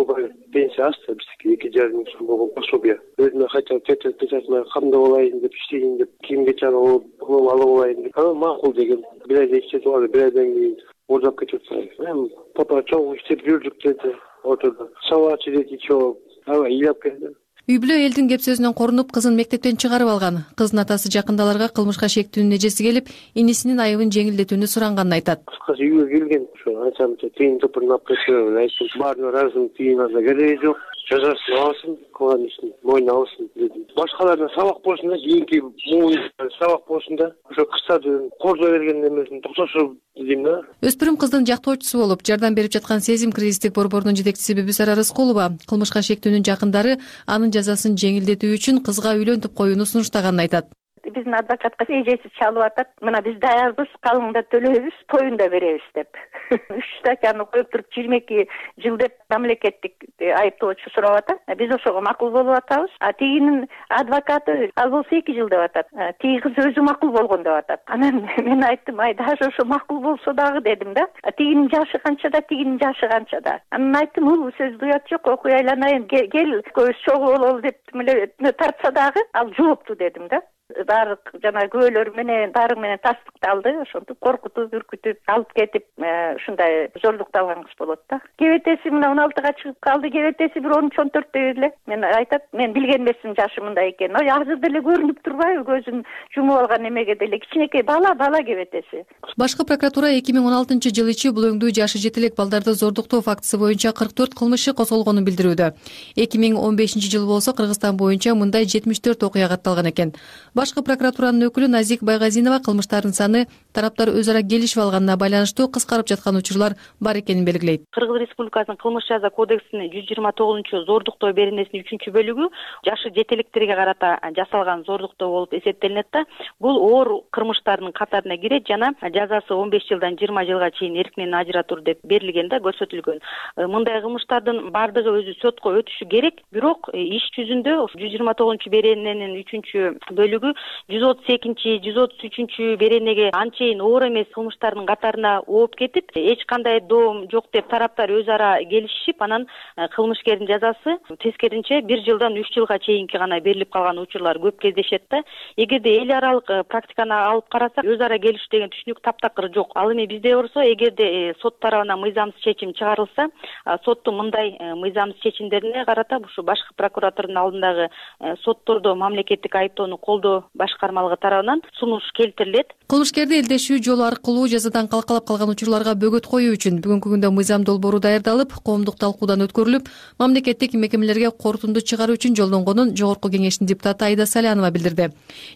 пенсия азды, биздики 2,5 миң сом болгон пособие. Өзүмө кайталап печатына камдап алайын деп, иштейин деп, кийим-кечек алып алайын деп. Анан макул деген. Bir ayda иштетип алды, bir ayдан кийин ордоп кетип атты. Мен папа чоң иштеп жүрдүк деди. отурду. Сабакчы деди чогуу аба ыйлап келди. Үй бүлө элдин кеп сөзүнөн корунуп кызын мектептен чыгарып алган. Кыздын атасы жакында аларга кылмышка шектүүнүн эжеси келип, инисинин айыбын жеңилдетүүнү суранганын айтат. Кыскасы үйгө келген, ошо анча-мынча тыйын топурун алып кеткен, айттым. Баарына ыраазымын, тыйын алса кереги жок. Жазасын алсын, кылган ишин мойнуна алсын дедим. Башкаларына сабак болсун да, кийинки муун сабак болсун да. Ошо кыстарды кордой берген эмесин токтошуп дедим да. Өспүрүм кыздын жактоочусу болуп, жардам берип жаткан Сезим кризистик борборунун жетекчиси Бибисара Рыскулова кылмышка шектүүнүн жакындары анын жазасын жеңилдетүү үчүн кызга үйлөнтүп коюуну сунуштаганын айтат. Биздин адвокатка эжеси чалып атат. Мына биз даярбыз, калың да төлөйбүз, тоюн да беребиз деп. 3 статьяны коюп туруп 22 жыл деп мамлекеттик айыптоочу сурап атат. Биз ошого макул болуп атабыз. Тигинин адвокаты ал болсо 2 жыл деп атат. Тиги кыз өзү макул болгон деп атат. Анан мен айттым, даже ошо макул болсо дагы дедим да. Тигинин жашы канчада, тигинин жашы канчада. Анан айттым, бул сөздү уят жок, окуй айланайын, кел көз чогуу бололу деп тартса дагы ал жоопту дедим да. Баары жана күбөлөр менен баары менен тастыкталды, ошентип коркутуп, үркүтүп алып кетип, ушундай зордукталган кыз болот да. Кебетеси мына 16-га чыгып калды, кебетеси бир 13-14 эле. Мен айтат, мен билген эмесмин жашы мындай экенин. Азыр деле көрүнүп турбайбы, көзүн жумуп алган эмеге деле кичинекей бала кебетеси. Башкы прокуратура 2016-жылы ичи булөңдүү жашы жете элек балдарды зордуктоо фактысы боюнча 44 кылмышы козголгонун билдирүүдө. 2015-жылы болсо Кыргызстан боюнча мындай 74 окуя катталган экен. Башкы прокуратуранын өкүлү Назик Байгазинова кылмыштардын саны тараптар өз ара келишип алганына байланыштуу кыскарып жаткан учурлар бар экенин белгилейт. Кыргыз Республикасынын кылмыш жаза кодексинин 129-зордуктоо беренесинин 3-бөлүгү жашы жетелектерге карата жасалган зордуктоо болуп эсептелинет да. Бул оор кылмыштардын катарына кирет жана жазасы 15 жылдан 20 жылга чейин эркинен ажыратуу деп берилген да, көрсөтүлгөн. Мындай кылмыштардын бардыгы өзү сотко өтүшү керек, бирок иш жүзүндө 129-берененин 3-бөлүгү 132, 133 беренеге анчейин оор эмес кылмыштардын катарына ооп кетип, эч кандай доом жок деп тараптар өз ара келишип, анан кылмышкердин жазасы тескеринче 1 жылдан 3 жылга чейинки гана берилип калган учурлар көп кездешет да. Эгерде эл аралык практиканы алып карасак, өз ара келишүү деген түшүнүк таптакыр жок. Ал эми бизде болсо, эгерде сот тарабынан мыйзамсыз чечим чыгарылса, соттун мындай мыйзамсыз чечимдерине карата ушу башкы прокуратуранын алдындагы соттордо мамлекеттик айыптоону колдоо башкармалыгы тарабынан сунуш келтирилет. Кылмышкерди элдешүү жолу аркылуу жазадан калкалап калган учурларга бөгөт коюу үчүн бүгүнкү күндө мыйзам долбоору даярдалып, коомдук талкуудан өткөрүлүп, мамлекеттик мекемелерге корутунду чыгаруу үчүн жолдонгонун Жогорку Кеңештин депутаты Айда Салянова билдирди.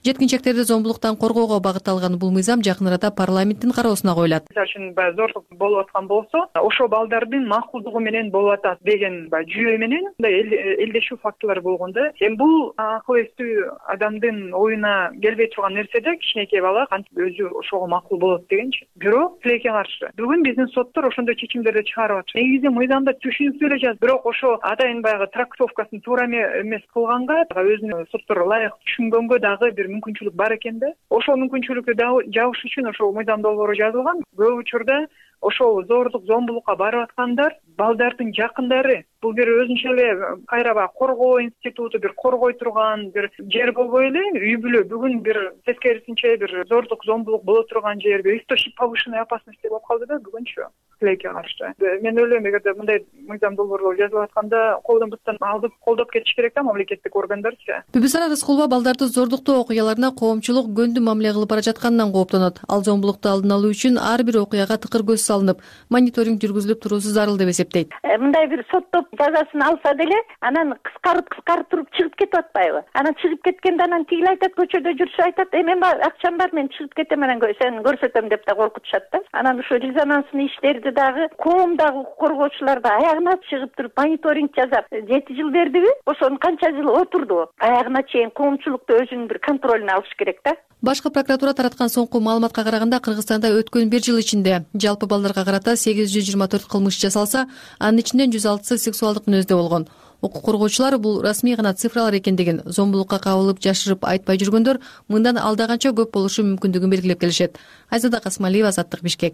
Жеткинчектерди зомбулуктан коргоого багытталган бул мыйзам жакын арада парламенттин кароосуна коюлат. Мисалы үчүн зордук болуп аткан болсо, ошо балдардын макулдугу менен болуп атат деген жүйө менен элдешүү фактылар болгондо, эми бул акыл эстүү адамдын оюна келбей турган нерседе кичинекей бала кантип өзү ошого макул болот дегенчи. Бирок тилекке каршы бүгүн биздин соттор ошондой чечимдерди чыгарып атышат. Негизи мыйзамда түшүнүктүү эле жазып, бирок ошо атайын баягы трактовкасын туура эмес кылганга өзүнүн соттор ылайык түшүнгөнгө дагы бир мүмкүнчүлүк бар экен да. Ошол мүмкүнчүлүктү жабыш үчүн ошол мыйзам долбоору жазылган. Көп учурда ошол зордук, зомбулукка барып аткандар балдардын жакындары. Бул бир өзүнчө эле кайра коргоо институту, бир коргой турган бир жер болбой эле, үй бүлө бүгүн бир тескерисинче бир зордук, зомбулук боло турган жер, бир источник повышенной опасности болуп калды да бүгүнчү тилекке каршы. Мен ойлойм, эгерде мындай мыйзам долбоорлор жазылып атканда колдон бустан алып колдоп кетиш керек да мамлекеттик органдарчы. Бибисара Рыскулова балдарды зордуктоо окуяларына коомчулук көндү мамиле кылып бара жатканынан кооптонот. Ал зомбулукту алдын алуу үчүн ар бир окуяга тыкыр көз салынып, мониторинг жүргүзүлүп туруусу зарыл деп эсептейт. Мындай бир соттоп жазасын алса деле, анан кыскарып туруп чыгып кетип атпайбы? Анан чыгып кеткенде анан тигил айтат, көчөдө жүрсө айтат, мен акчам бар, мен чыгып кетем, анан сени көрсөтөм деп да коркутушат да. Анан ошо резонанстный иштерди дагы коомдагы коргоочулар да аягына чыгып туруп мониторинг жасап, 7 жыл бердиби? Ошону канча жыл отурду? Аягына чейин коомчулукту өзүнүн бир контролуна алыш керек да. Башкы прокуратура тараткан соңку маалыматка караганда, Кыргызстанда өткөн 1 жыл ичинде жалпы балдарга карата 824 кылмыш жасалса, анын ичинен 106сы сексуалдык мүнөздө болгон. Укук коргоочулар бул расмий гана цифралар экендигин, зомбулукка кабылып жашырып айтпай жүргөндөр мындан алда канча көп болушу мүмкүндүгүн белгилеп келишет. Айзада Касмалиева, Азаттык, Бишкек.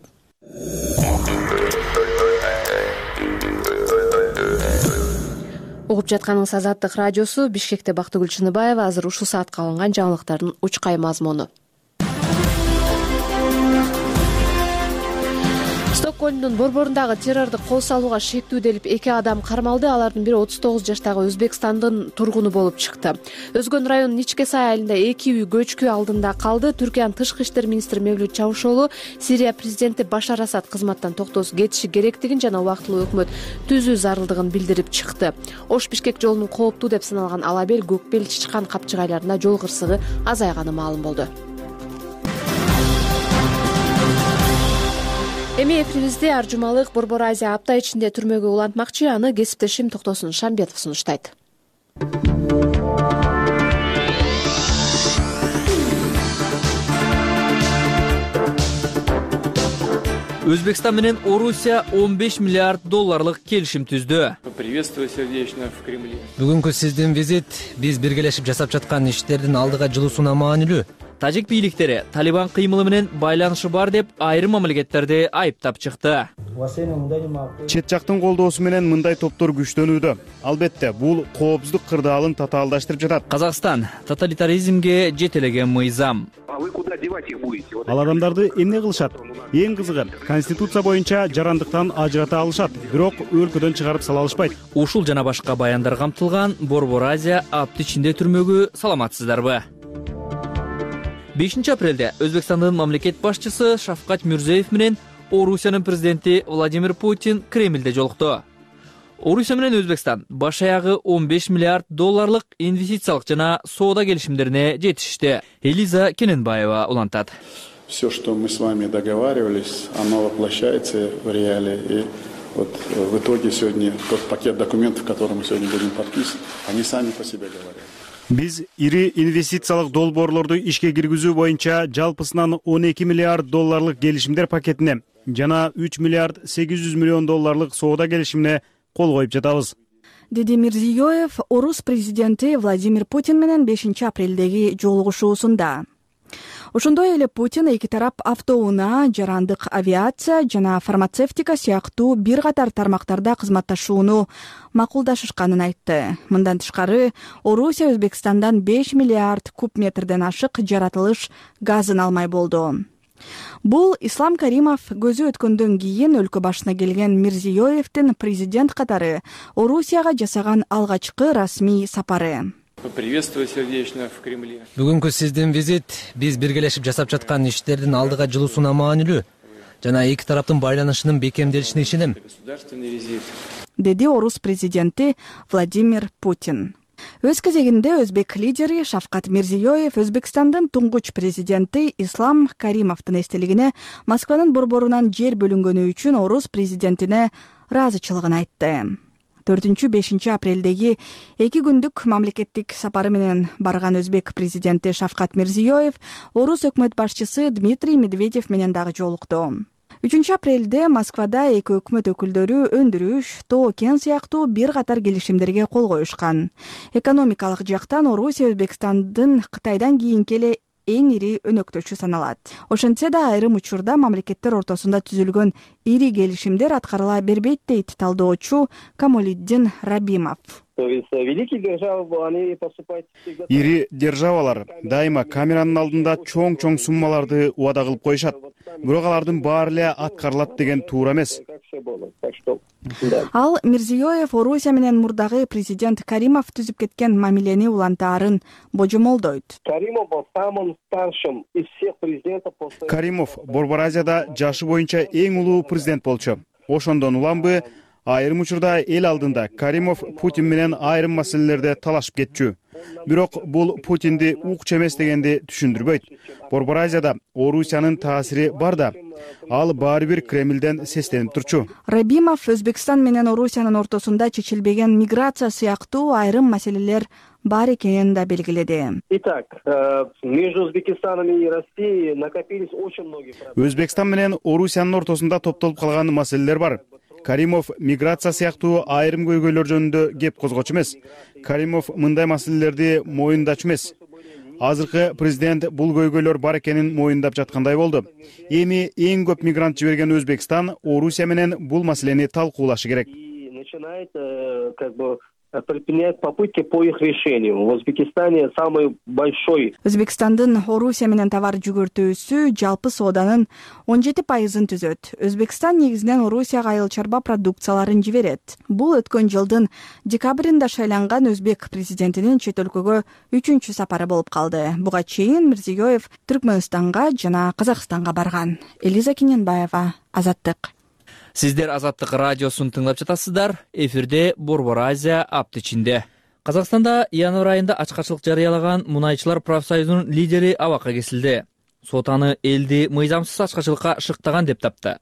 Угуп жатканыңыз Азаттык радиосу. Бишкекте Бактыгүл Чыныбаева. Азыр ушул саатка алынган жаңылыктардын учкай мазмуну. Стокгольмдун борборундагы террордук кол салууга шектүүделип 2 адам кармалды. Алардын бири 39 жаштагы Өзбекстандын тургуну болуп чыкты. Өзгөн районунун Ичке Сай айылында 2 үй көчкү алдында калды. Түркиянын тышкы иштер министри Мевлют Чавушоğlu Сирия президенти Башар Асад кызматтан токтосуз кетиши керектигин жана убактылуу өкмөт түзүү зарылдыгын билдирип чыкты. Ош-Бишкек жолунун кооптуу деп саналган Алабел, Көкбел, Чычкан капчыгайларында жол кырсыгы азайганы маалым болду. Эми эфирибизде ар жумалык Борбор Азия апта ичинде түрмөгө улантмакчы. Аны кесиптешим Токтосун Шамбетов сунуштайт. Өзбекстан менен Орусия 15 миллиард долларлык келишим түздү. Приветствую сердечно в Кремле. Бүгүнкү сиздин визит биз биргелешип жасап жаткан иштердин алдыга жылуусуна маанилүү. Тажик бийликтери Талибан кыймылы менен байланышы бар деп айрым мамлекеттерди айыптап чыкты. Чет жактын колдоосу менен мындай топтор күчтөнүүдө. Албетте, бул коопсуздук кырдаалын татаалдаштырып жатат. Казакстан тоталитаризмге жетелеген мыйзам. А вы куда девать их будете? Ал адамдарды эмне кылышат? Эң кызыгы, конституция боюнча жарандыктан ажырата алышат, бирок өлкөдөн чыгарып сала алышпайт. Ушул жана башка баяндар камтылган Борбор Азия апта ичинде түрмөгү саламатсыздарбы? 5 апрелде Өзбекстандын мамлекет башчысы Шавкат Мирзиёев менен Орусиянын президенти Владимир Путин Кремлде жолукту. Орусия менен Өзбекстан баш аягы 15 миллиард долларлык инвестициялык жана соода келишимдерине жетишти. Элиза Кененбаева улантат. Все, что мы с вами договаривались, оно воплощается в реалии. И вот в итоге сегодня тот пакет документов, который мы сегодня будем подписывать, они сами по себе говорят. Биз ири инвестициялык долбоорлорду ишке киргизүү боюнча жалпысынан 12 миллиард долларлык келишимдер пакетине жана 3 миллиард 800 миллион долларлык соода келишимине кол коюп жатабыз, деди Мирзиёев Орус президенти Владимир Путин менен 5 апрелдеги жолугушуусунда. Ошондой эле Путин эки тарап автоунаа, жарандык авиация жана фармацевтика сыяктуу бир катар тармактарда кызматташууну макулдашышканын айтты. Мындан тышкары, Орусия Өзбекстандан 5 миллиард куб метрден ашык жаратылыш газын алмай болду. Бул Ислам Каримов көзү өткөндөн кийин өлкө башына келген Мирзиёевдин президент катары Орусияга жасаган алгачкы расмий сапары. Приветствую сердечно в Кремле. Бүгүнкү сиздин визит биз биргелешип жасап жаткан иштердин алдыга жылуусуна маанилүү жана эки тараптын байланышынын бекемделишине ишенем, деди Орус президенти Владимир Путин. Өз кезегинде өзбек лидери Шавкат Мирзиёев Өзбекстандын туңгуч президенти Ислам Каримовдун эстелигине Москванын борборунан жер бөлүнгөнү үчүн Орус президентине ыраазычылыгын айтты. 4-5 апрелдеги 2 күндүк мамлекеттик сапары менен барган өзбек президенти Шавкат Мирзиёев Орус өкмөт башчысы Дмитрий Медведев менен дагы жолукту. 3 апрелде Москвада эки өкмөт өкүлдөрү өндүрүш, тоо кен сыяктуу бир катар келишимдерге кол коюшкан. Экономикалык жактан Орусия Өзбекстандын Кытайдан кийинки эле эң ири өнөктөшү саналат. Ошентсе да айрым учурда мамлекеттер ортосунда түзүлгөн ири келишимдер аткарыла бербейт дейт талдоочу Камолиддин Рабимов. Ири державалар дайыма камеранын алдында чоң суммаларды убада кылып коюшат. Бирок алардын баары эле аткарылат деген туура эмес. Ал Мирзиёев Орусия менен мурдагы президент Каримов түзүп кеткен мамилени улантаарын божомолдойт. Каримов Борбор Азияда жашы боюнча эң улуу президент болчу. Ошондон уламбы айрым учурда эл алдында Каримов Путин менен айрым маселелерде талашып кетчү. Бирок бул Путинди укчу эмес дегенди түшүндүрбөйт. Борбор Азияда Орусиянын таасири бар да, ал баары бир Кремлден сестенип турчу. Рабимов Өзбекстан менен Орусиянын ортосунда чечилбеген миграция сыяктуу айрым маселелер бар экенин да белгиледи. Итак, между Узбекистаном и Россией накопились очень многие проблемы. Өзбекстан менен Орусиянын ортосунда топтолуп калган маселелер бар. Каримов миграция сыяктуу айрым көйгөйлөр жөнүндө кеп козгочу эмес. Каримов мындай маселелерди моюндачу эмес. Азыркы президент бул көйгөйлөр бар экенин моюндап жаткандай болду. Эми эң көп мигрант жиберген Өзбекстан Орусия менен бул маселени талкуулашы керек. Начинает предпринять попытки по их решению. В Узбекистане самый большой. Өзбекстандын Орусия менен товар жүгүртүүсү жалпы сооданын 17% түзөт. Өзбекстан негизинен Орусияга айыл чарба продукцияларын жиберет. Бул өткөн жылдын декабрында шайланган өзбек президентинин чет өлкөгө 3-чү сапары болуп калды. Буга чейин Мирзиёев Түркмөнстанга жана Казакстанга барган. Элиза Кененбаева, Азаттык. Сиздер Азаттык радиосун тыңлап жатасыздар. Эфирде Борбор Азия аптычинде. Казакстанда январь айында ачкачылык жарыялаган мунайчылар профсоюзунун лидери абакка кесилди. Сот аны элди мыйзамсыз ачкачылыкка шыктаган деп тапты.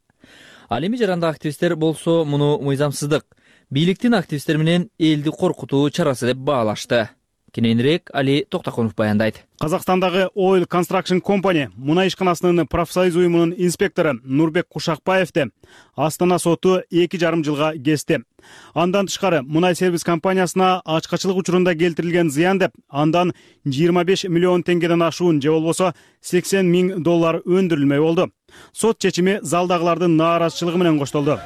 Ал эми жарандык активисттер болсо муну мыйзамсыздык, бийликтин активисттер менен элди коркутуу чарасы деп баалашты. Кененирээк Али Токтакунов баяндайт. Казакстандагы Oil Construction Company мунай ишканасынын профсоюз уюмунун инспектору Нурбек Кушакбаевди Астана соту 2,5 жылга кести. Андан тышкары мунай сервис компаниясына ачкачылык учурунда келтирилген зыян деп андан 25 миллион теңгеден ашуун же болбосо $80 000 өндүрүлмөй болду. Сот чечими залдагылардын нааразычылыгы менен коштолду.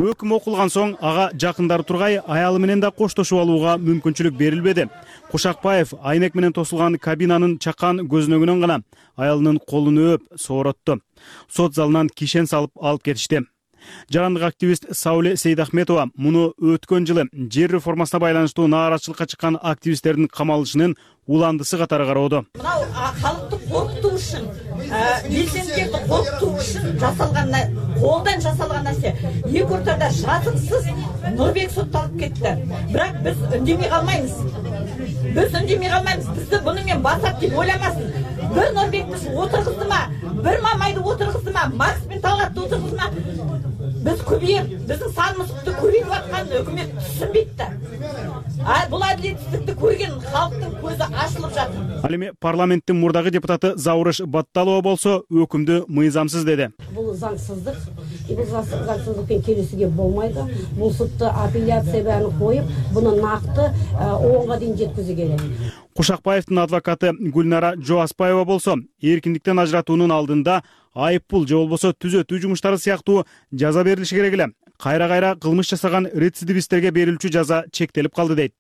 Өкүм окулган соң ага жакындары тургай аялы менен да коштошуп алууга мүмкүнчүлүк берилбеди. Кушакбаев айнек менен тосулган кабинанын чакан көзүнөгүнөн гана аялынын колун өөп сооротту. Сот залынан кишен салып алып кетишти. Жарандык активист Сауле Сейдахметова муну өткөн жылы жер реформасына байланыштуу нааразычылыкка чыккан активисттердин камалышынын уландысы катары кароодо. Мынау халыкты коркутуу үчүн, белсендилерди коркутуу үчүн жасалган, колдон жасалган нерсе. Эки ортада жазыксыз Нурбек сотталып кетти. Бирок биз үндемей калмайбыз. Бизди буну менен басат деп ойламасын. Бир Нурбекти отургуздума, бир Мамайды отургуздума, Макс мен Талгатты отургуздума. Biz көбейіп, біздің санымызды көбейіп жатқанын өкімет түсінбейді да. Бұл әділетсіздікті көрген халықтың көзі ашылып жатыр. Ал эми парламенттин мурдагы депутаты Заурыш Батталова болсо өкүмдү мыйзамсыз деди. Бұл заңсыздық, бұл заңсыздықпен келісуге болмайды. Бұл сотта апелляция бәрін қойып, бұны нақты 10-ға дейін жеткізу керек. Кушакбаевдин адвокаты Гүлнара Жоаспаева болсо эркиндиктен ажыратуунун алдында айыппул же болбосо түзөтүү жумуштары сыяктуу жаза берилиши керек эле. Кайра-кайра кылмыш жасаган рецидивисттерге берилчү жаза чектелип калды дейт.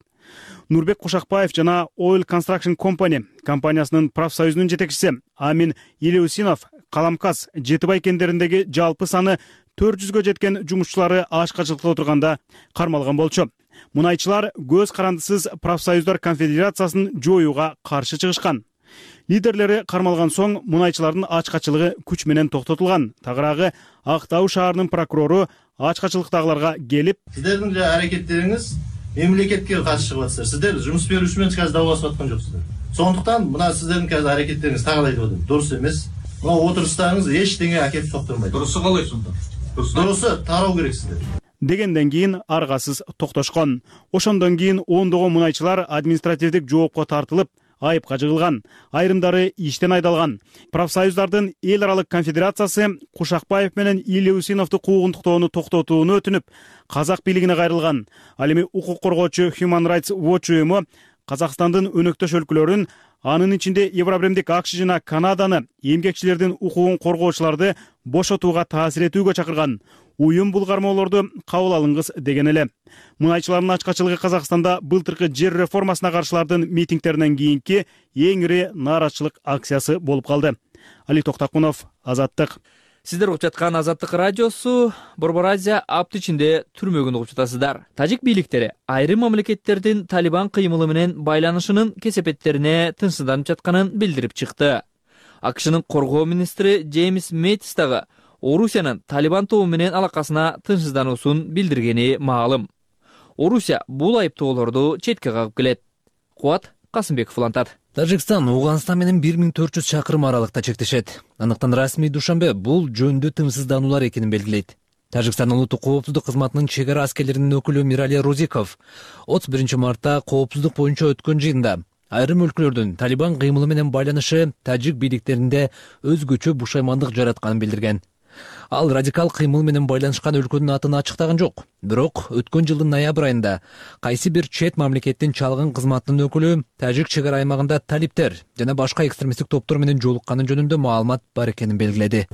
Нурбек Кушакбаев жана Oil Construction Company компаниясынын профсоюзунун жетекчиси Амин Илеусинов Каламкас, Жетибай кендериндеги жалпы саны 400гө жеткен жумушчулары ачкачылыкта отурганда кармалган болчу. Мунайчылар көз карандысыз профсоюздар конфедерациясын жоюуга каршы чыгышкан. Лидерлери кармалган соң мунайчылардын ачкачылыгы күч менен токтотулган. Тагыраагы Актау шаарынын прокурору ачкачылыктагыларга келип, сиздердин аракеттериңиз мемлекетке каршы чыгып атасыздар. Сиздер жумуш берүүчү менен казір даулашып аткан жоксуздар. Сондуктан мына сиздердин казір аракеттериңиз тагы айтып атам, дурус эмес. Мына отуруштарыңыз эчтеңе акеп токтормойт. Дурусу калай сонда? Дурусу тароо керек сиздер. Дегенден кийин аргасыз токтошкон. Ошондон кийин ондогон мунайчылар административдик жоопко тартылып, айыпка жыгылган. Айрымдары иштен айдалган. Профсоюздардын эл аралык конфедерациясы Кушакбаев менен Илеусиновду куугунтуктоону токтотууну өтүнүп, казак бийлигине кайрылган. Ал эми укук коргоочу Human Rights Watch уюму Казакстандын өнөктөш өлкөлөрүн, анын ичинде Евробремдик АКШ жана Канаданы эмгекчилердин укугун коргоочуларды бошотууга таасир этүүгө чакырган. Уюм бул кармоолорду кабыл алыңыз деген эле. Мунайчылардын ачкачылыгы Казакстанда былтыркы жер реформасына каршылардын митингтеринен кийинки эң ири нааразычылык акциясы болуп калды. Али Токтакунов, Азаттык. Сиздер угуп жаткан Азаттык радиосу Борбор Азия аптычинде түрмөгүн угуп жатасыздар. Тажик бийликтери айрым мамлекеттердин Талибан кыймылы менен байланышынын кесепеттерине тынчсызданып жатканын билдирип чыкты. АКШнын коргоо министри Джеймс Мэттис дагы Орусиянын Талибан тобу менен алакасына тынчсыздануусун билдиргени маалым. Орусия бул айыптоолорду четке кагып келет. Кубат Касымбеков улантат. Тажикстан Уганстан менен 1400 чакырым аралыкта чектешет. Анықтан расмий Душанбе бул жөндө тынчсыздануулар экенин белгилейт. Тажикстан улуттук коопсуздук кызматынын чек ара аскерлеринин өкүлү Мирали Розиков 31 мартта коопсуздук боюнча өткөн жыйында айрым өлкөлөрдүн Талибан кыймылы менен байланышы тажик бийликтеринде өзгөчө бушаймандык жаратканын билдирген. Ал радикал кыймыл менен байланышкан өлкөнүн атын ачыктаган жок. Бирок өткөн жылдын ноябрь айында кайсы бир чет мамлекеттин чалгын кызматынын өкүлү тажик чек ара аймагында талиптер жана башка экстремисттик топтор менен жолукканы жөнүндө маалымат бар экенин белгиледи.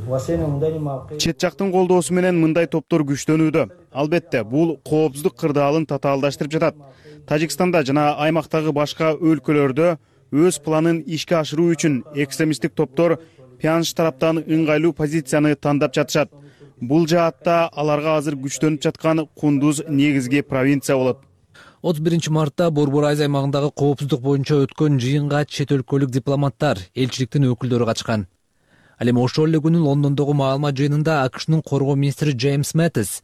Чет жактын колдоосу менен мындай топтор күчтөнүүдө. Албетте, бул коопсуздук кырдаалын татаалдаштырып жатат. Тажикстанда жана аймактагы башка өлкөлөрдө өз планын ишке ашыруу үчүн экстремисттик топтор Пянш тараптан ыңгайлуу позицияны тандап жатышат. Бул жаатта аларга азыр күчтөнүп жаткан Кундуз негизги провинция болот. 31 мартта Борбор Азия аймагындагы коопсуздук боюнча өткөн жыйынга чет өлкөлүк дипломаттар, элчиликтин өкүлдөрү катышкан. Ал эми ошол эле күнү Лондондогу маалымат жыйынында АКШнын коргоо министри Джеймс Мэттис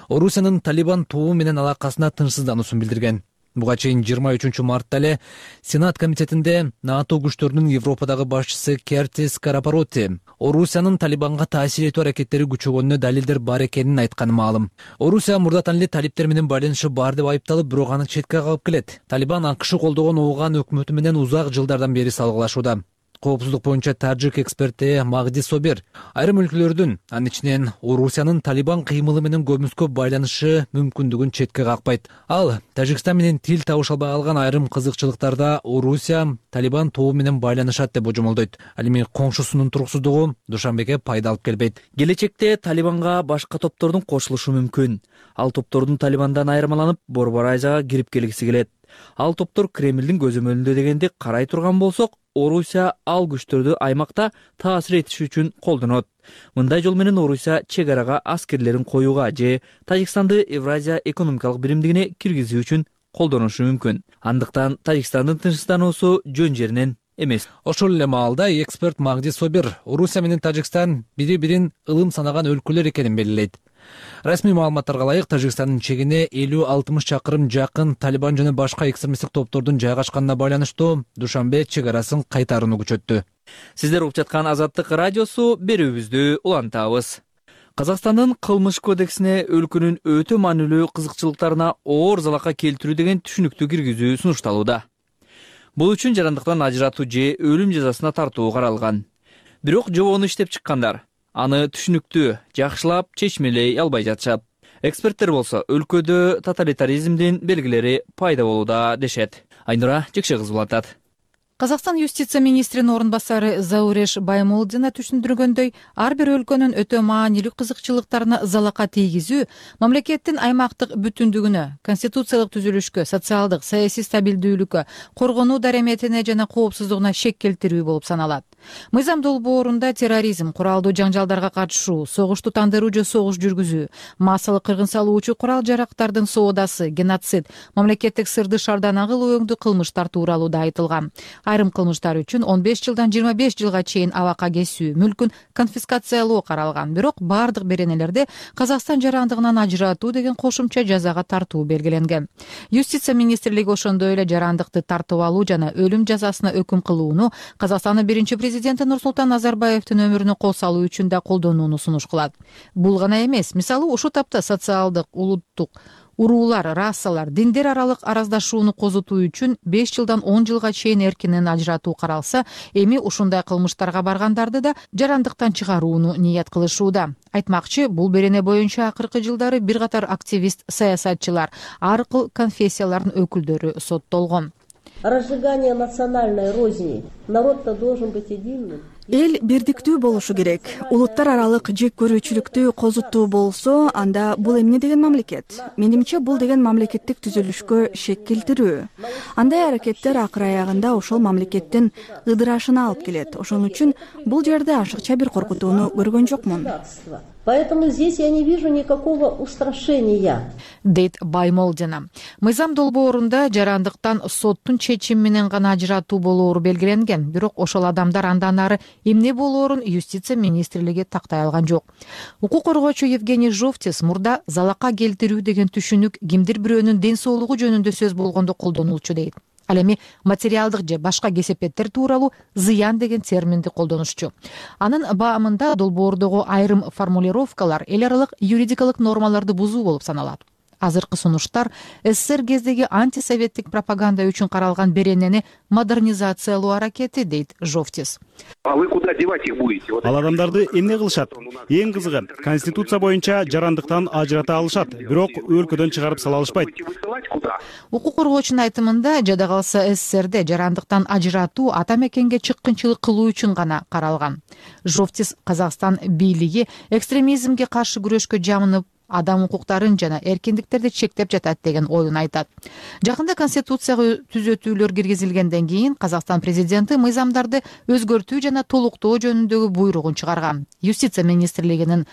Орусиянын Талибан тобу менен алакасына тынчсыздануусун билдирген. Буга чейин 23 мартта эле Сенат комитетинде НАТО күчтөрүнүн Европадагы башчысы Кертис Карапороти Орусиянын Талибанга таасир этүү аракеттери күчөгөнүнө далилдер бар экенин айтканы маалым. Орусия мурдатан эле талиптер менен байланышы бар деп айыпталып, бирок аны четке кагып келет. Талибан АКШ колдогон Ооган өкмөтү менен узак жылдардан бери салгылашууда. Коопсуздук боюнча тажик эксперти Магди Собир айрым өлкөлөрдүн, анын ичинен Орусиянын Талибан кыймылы менен көмүскө байланышы мүмкүндүгүн четке какпайт. Ал Тажикстан менен тил табыша албай калган айрым кызыкчылыктарда Орусия Талибан тобу менен байланышат деп божомолдойт. Ал эми коңшусунун туруксуздугу Душанбеге пайда алып келбейт. Келечекте Талибанга башка топтордун кошулушу мүмкүн. Ал топтордун Талибандан айырмаланып, Борбор Азияга кирип келгиси келет. Ал топтор Кремлдин көзөмөлүндө дегенди карай турган болсок, Орусия ал күчтөрдү аймакта таасир этиш үчүн колдонот. Мындай жол менен Орусия чек арага аскерлерин коюуга же Тажикстанды Евразия экономикалык биримдигине киргизүү үчүн колдонушу мүмкүн. Андыктан Тажикстандын тынчсыздануусу жөн жеринен эмес. Ошол эле маалда эксперт Магди Собир Орусия менен Тажикстан бири-бирин ылым санаган өлкөлөр экенин белгилейт. Расмий маалыматтарга ылайык, Тажикстандын чегине 50-60 чакырым жакын Талибан жана башка экстремисттик топтордун жайгашканына байланыштуу Душанбе чек арасын кайтарууну күчөттү. Сиздер угуп жаткан Азаттык радиосу, берүүбүздү улантабыз. Казакстандын кылмыш кодексине өлкөнүн өтө маанилүү кызыкчылыктарына оор залака келтирүү деген түшүнүктү киргизүү сунушталууда. Бул үчүн жарандыктан ажыратуу же өлүм жазасына тартуу каралган. Бирок жобону иштеп чыккандар аны түшүнүктүү, жакшылап чечмелей албай жатышат. Эксперттер болсо өлкөдө тоталитаризмдин белгилери пайда болууда дешет. Айнура Жекше кызы улантат. Казакстан юстиция министринин орун басары Зауреш Баймолдина түшүндүргөндөй, ар бир өлкөнүн өтө маанилүү кызыкчылыктарына залака тийгизүү мамлекеттин аймактык бүтүндүгүнө, конституциялык түзүлүшкө, социалдык, саясий стабилдүүлүккө, коргонуу дареметине жана коопсуздугуна шек келтирүү болуп саналат. Мыйзам долбоорунда терроризм, куралдуу жаңжалдарга катышуу, согушту тандыруу же согуш жүргүзүү, массалык кыргын салуучу курал-жарактардын соодасы, геноцид, мамлекеттик сырды шардан агыл өңдүү кылмыштар тууралууда айтылган. Айрым кылмыштар үчүн 15 жылдан 25 жылга чейин абакка кесүү, мүлкүн конфискациялоо каралган. Бирок бардык беренелерде Казакстан жарандыгынан ажыратуу деген кошумча жазага тартуу белгиленген. Юстиция министрлиги ошондой эле жарандыкты тартып алуу жана өлүм жазасына өкүм кылууну Казакстандын биринчи президенти Нурсултан Назарбаевдин өмүрүнө кол салуу үчүн да колдонууну сунуш кылат. Бул гана эмес, мисалы ушул тапта социалдык, улуттук, уруулар, расалар, диндер аралык араздашууну козутуу үчүн 5 жылдан 10 жылга чейин эркинен ажыратуу каралса, эми ушундай кылмыштарга баргандарды да жарандыктан чыгарууну ният кылышууда. Айтмакчы, бул берене боюнча акыркы жылдары бир катар активист, саясатчылар, ар кыл конфессиялардын өкүлдөрү соттолгон. Разжигание национальной розни. Народ-то должен быть единым. Эл бирдиктүү болушу керек. Улуттар аралык жек көрүүчүлүктү козутуу болсо, анда бул эмне деген мамлекет? Менимче, бул деген мамлекеттик түзүлүшкө шек келтирүү. Андай аракеттер акыр аягында ошол мамлекеттин ыдырашына алып келет. Ошон үчүн бул жерде ашыкча бир коркутууну көргөн жокмун. Поэтому здесь я не вижу никакого устрашения. Дейт Баймолдина. Мыйзам долбоорунда жарандыктан соттун чечими менен гана ажыратуу болоору белгиленген. Бирок ошол адамдар андан ары эмне болоорун юстиция министрлиги тактай алган жок. Укук коргоочу Евгений Жовтис мурда залака келтирүү деген түшүнүк кимдир бирөөнүн ден соолугу жөнүндө сөз болгондо колдонулчу дейт. Ал эми материалдык же башка кесепеттер тууралуу зыян деген терминди колдонушчу. Анын баамында долбоордогу айрым формулировкалар эл аралык юридикалык нормаларды бузуу болуп саналат. азыркы сунуштар СССР кездеги антисоветтик пропаганда үчүн каралган беренени модернизациялоо аракети, дейт Жовтис. А вы куда девать их будете? Ал адамдарды эмне кылышат? Эң кызыгы, конституция боюнча жарандыктан ажырата алышат, бирок өлкөдөн чыгарып сала алышпайт. Укук коргоочунун айтымында, жада калса СССРде жарандыктан ажыратуу ата мекенге чыккынчылык кылуу үчүн гана каралган. Жовтис Казакстан бийлиги экстремизмге каршы күрөшкө жамынып, адам укуктарын жана эркиндиктерди чектеп жатат деген оюн айтат. Жакында Конституцияга түзөтүүлөр киргизилгенден кийин Казакстан президенти мыйзамдарды өзгөртүү жана толуктоо жөнүндөгү буйругун чыгарган. Юстиция министрлигинин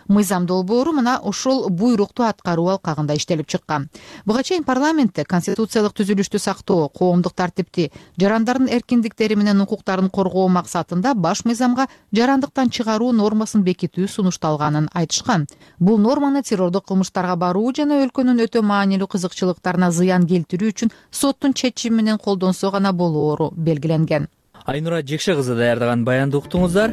мыйзам долбоору мына ошол буйрукту аткаруу алкагында иштелип чыккан. Буга чейин парламентте конституциялык түзүлүштү сактоо, коомдук тартипти, жарандардын эркиндиктери менен укуктарын коргоо максатында баш мыйзамга жарандыктан чыгаруу нормасын бекитүү сунушталганын айтышкан. Бул норманы террордук кылмыштарга баруу жана өлкөнүн өтө маанилүү кызыкчылыктарына зыян келтирүү үчүн соттун чечими менен колдонсо гана болоору белгиленген. Айнура Жекше кызы даярдаган баянды уктуңуздар.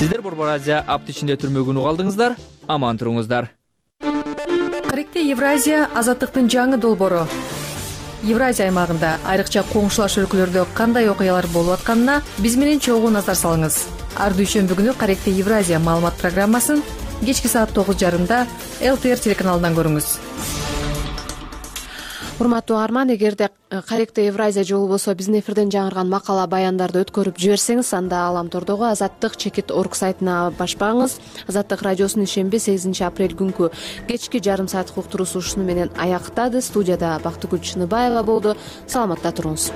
Сиздер Борбор Азия апты ичинде түрмөгүн угалдыңыздар. Аман туруңуздар. Каректе Евразия азаттыктын жаңы долбоору. Евразия аймагында айрыкча коңшулаш өлкөлөрдө кандай окуялар болуп атканына биз менен чогуу назар салыңыз. Ар дүйшөмбү күнү Каректе Евразия маалымат программасын кечки саат 9:30 ЛТР телеканалынан көрүңүз. Урматтуу угарман, эгерде Каректе Евразия же болбосо биздин эфирден жаңырган макала баяндарды өткөрүп жиберсеңиз, анда Аламтордогу Азаттык-Орг сайтына башпаңыз. Азаттык радиосунун ишемби 8 апрель күнкү кечки жарым сааттык уктуруусу ушуну менен аяктады. Студияда Бактыгүл Чыныбаева болду. Саламатта туруңуз.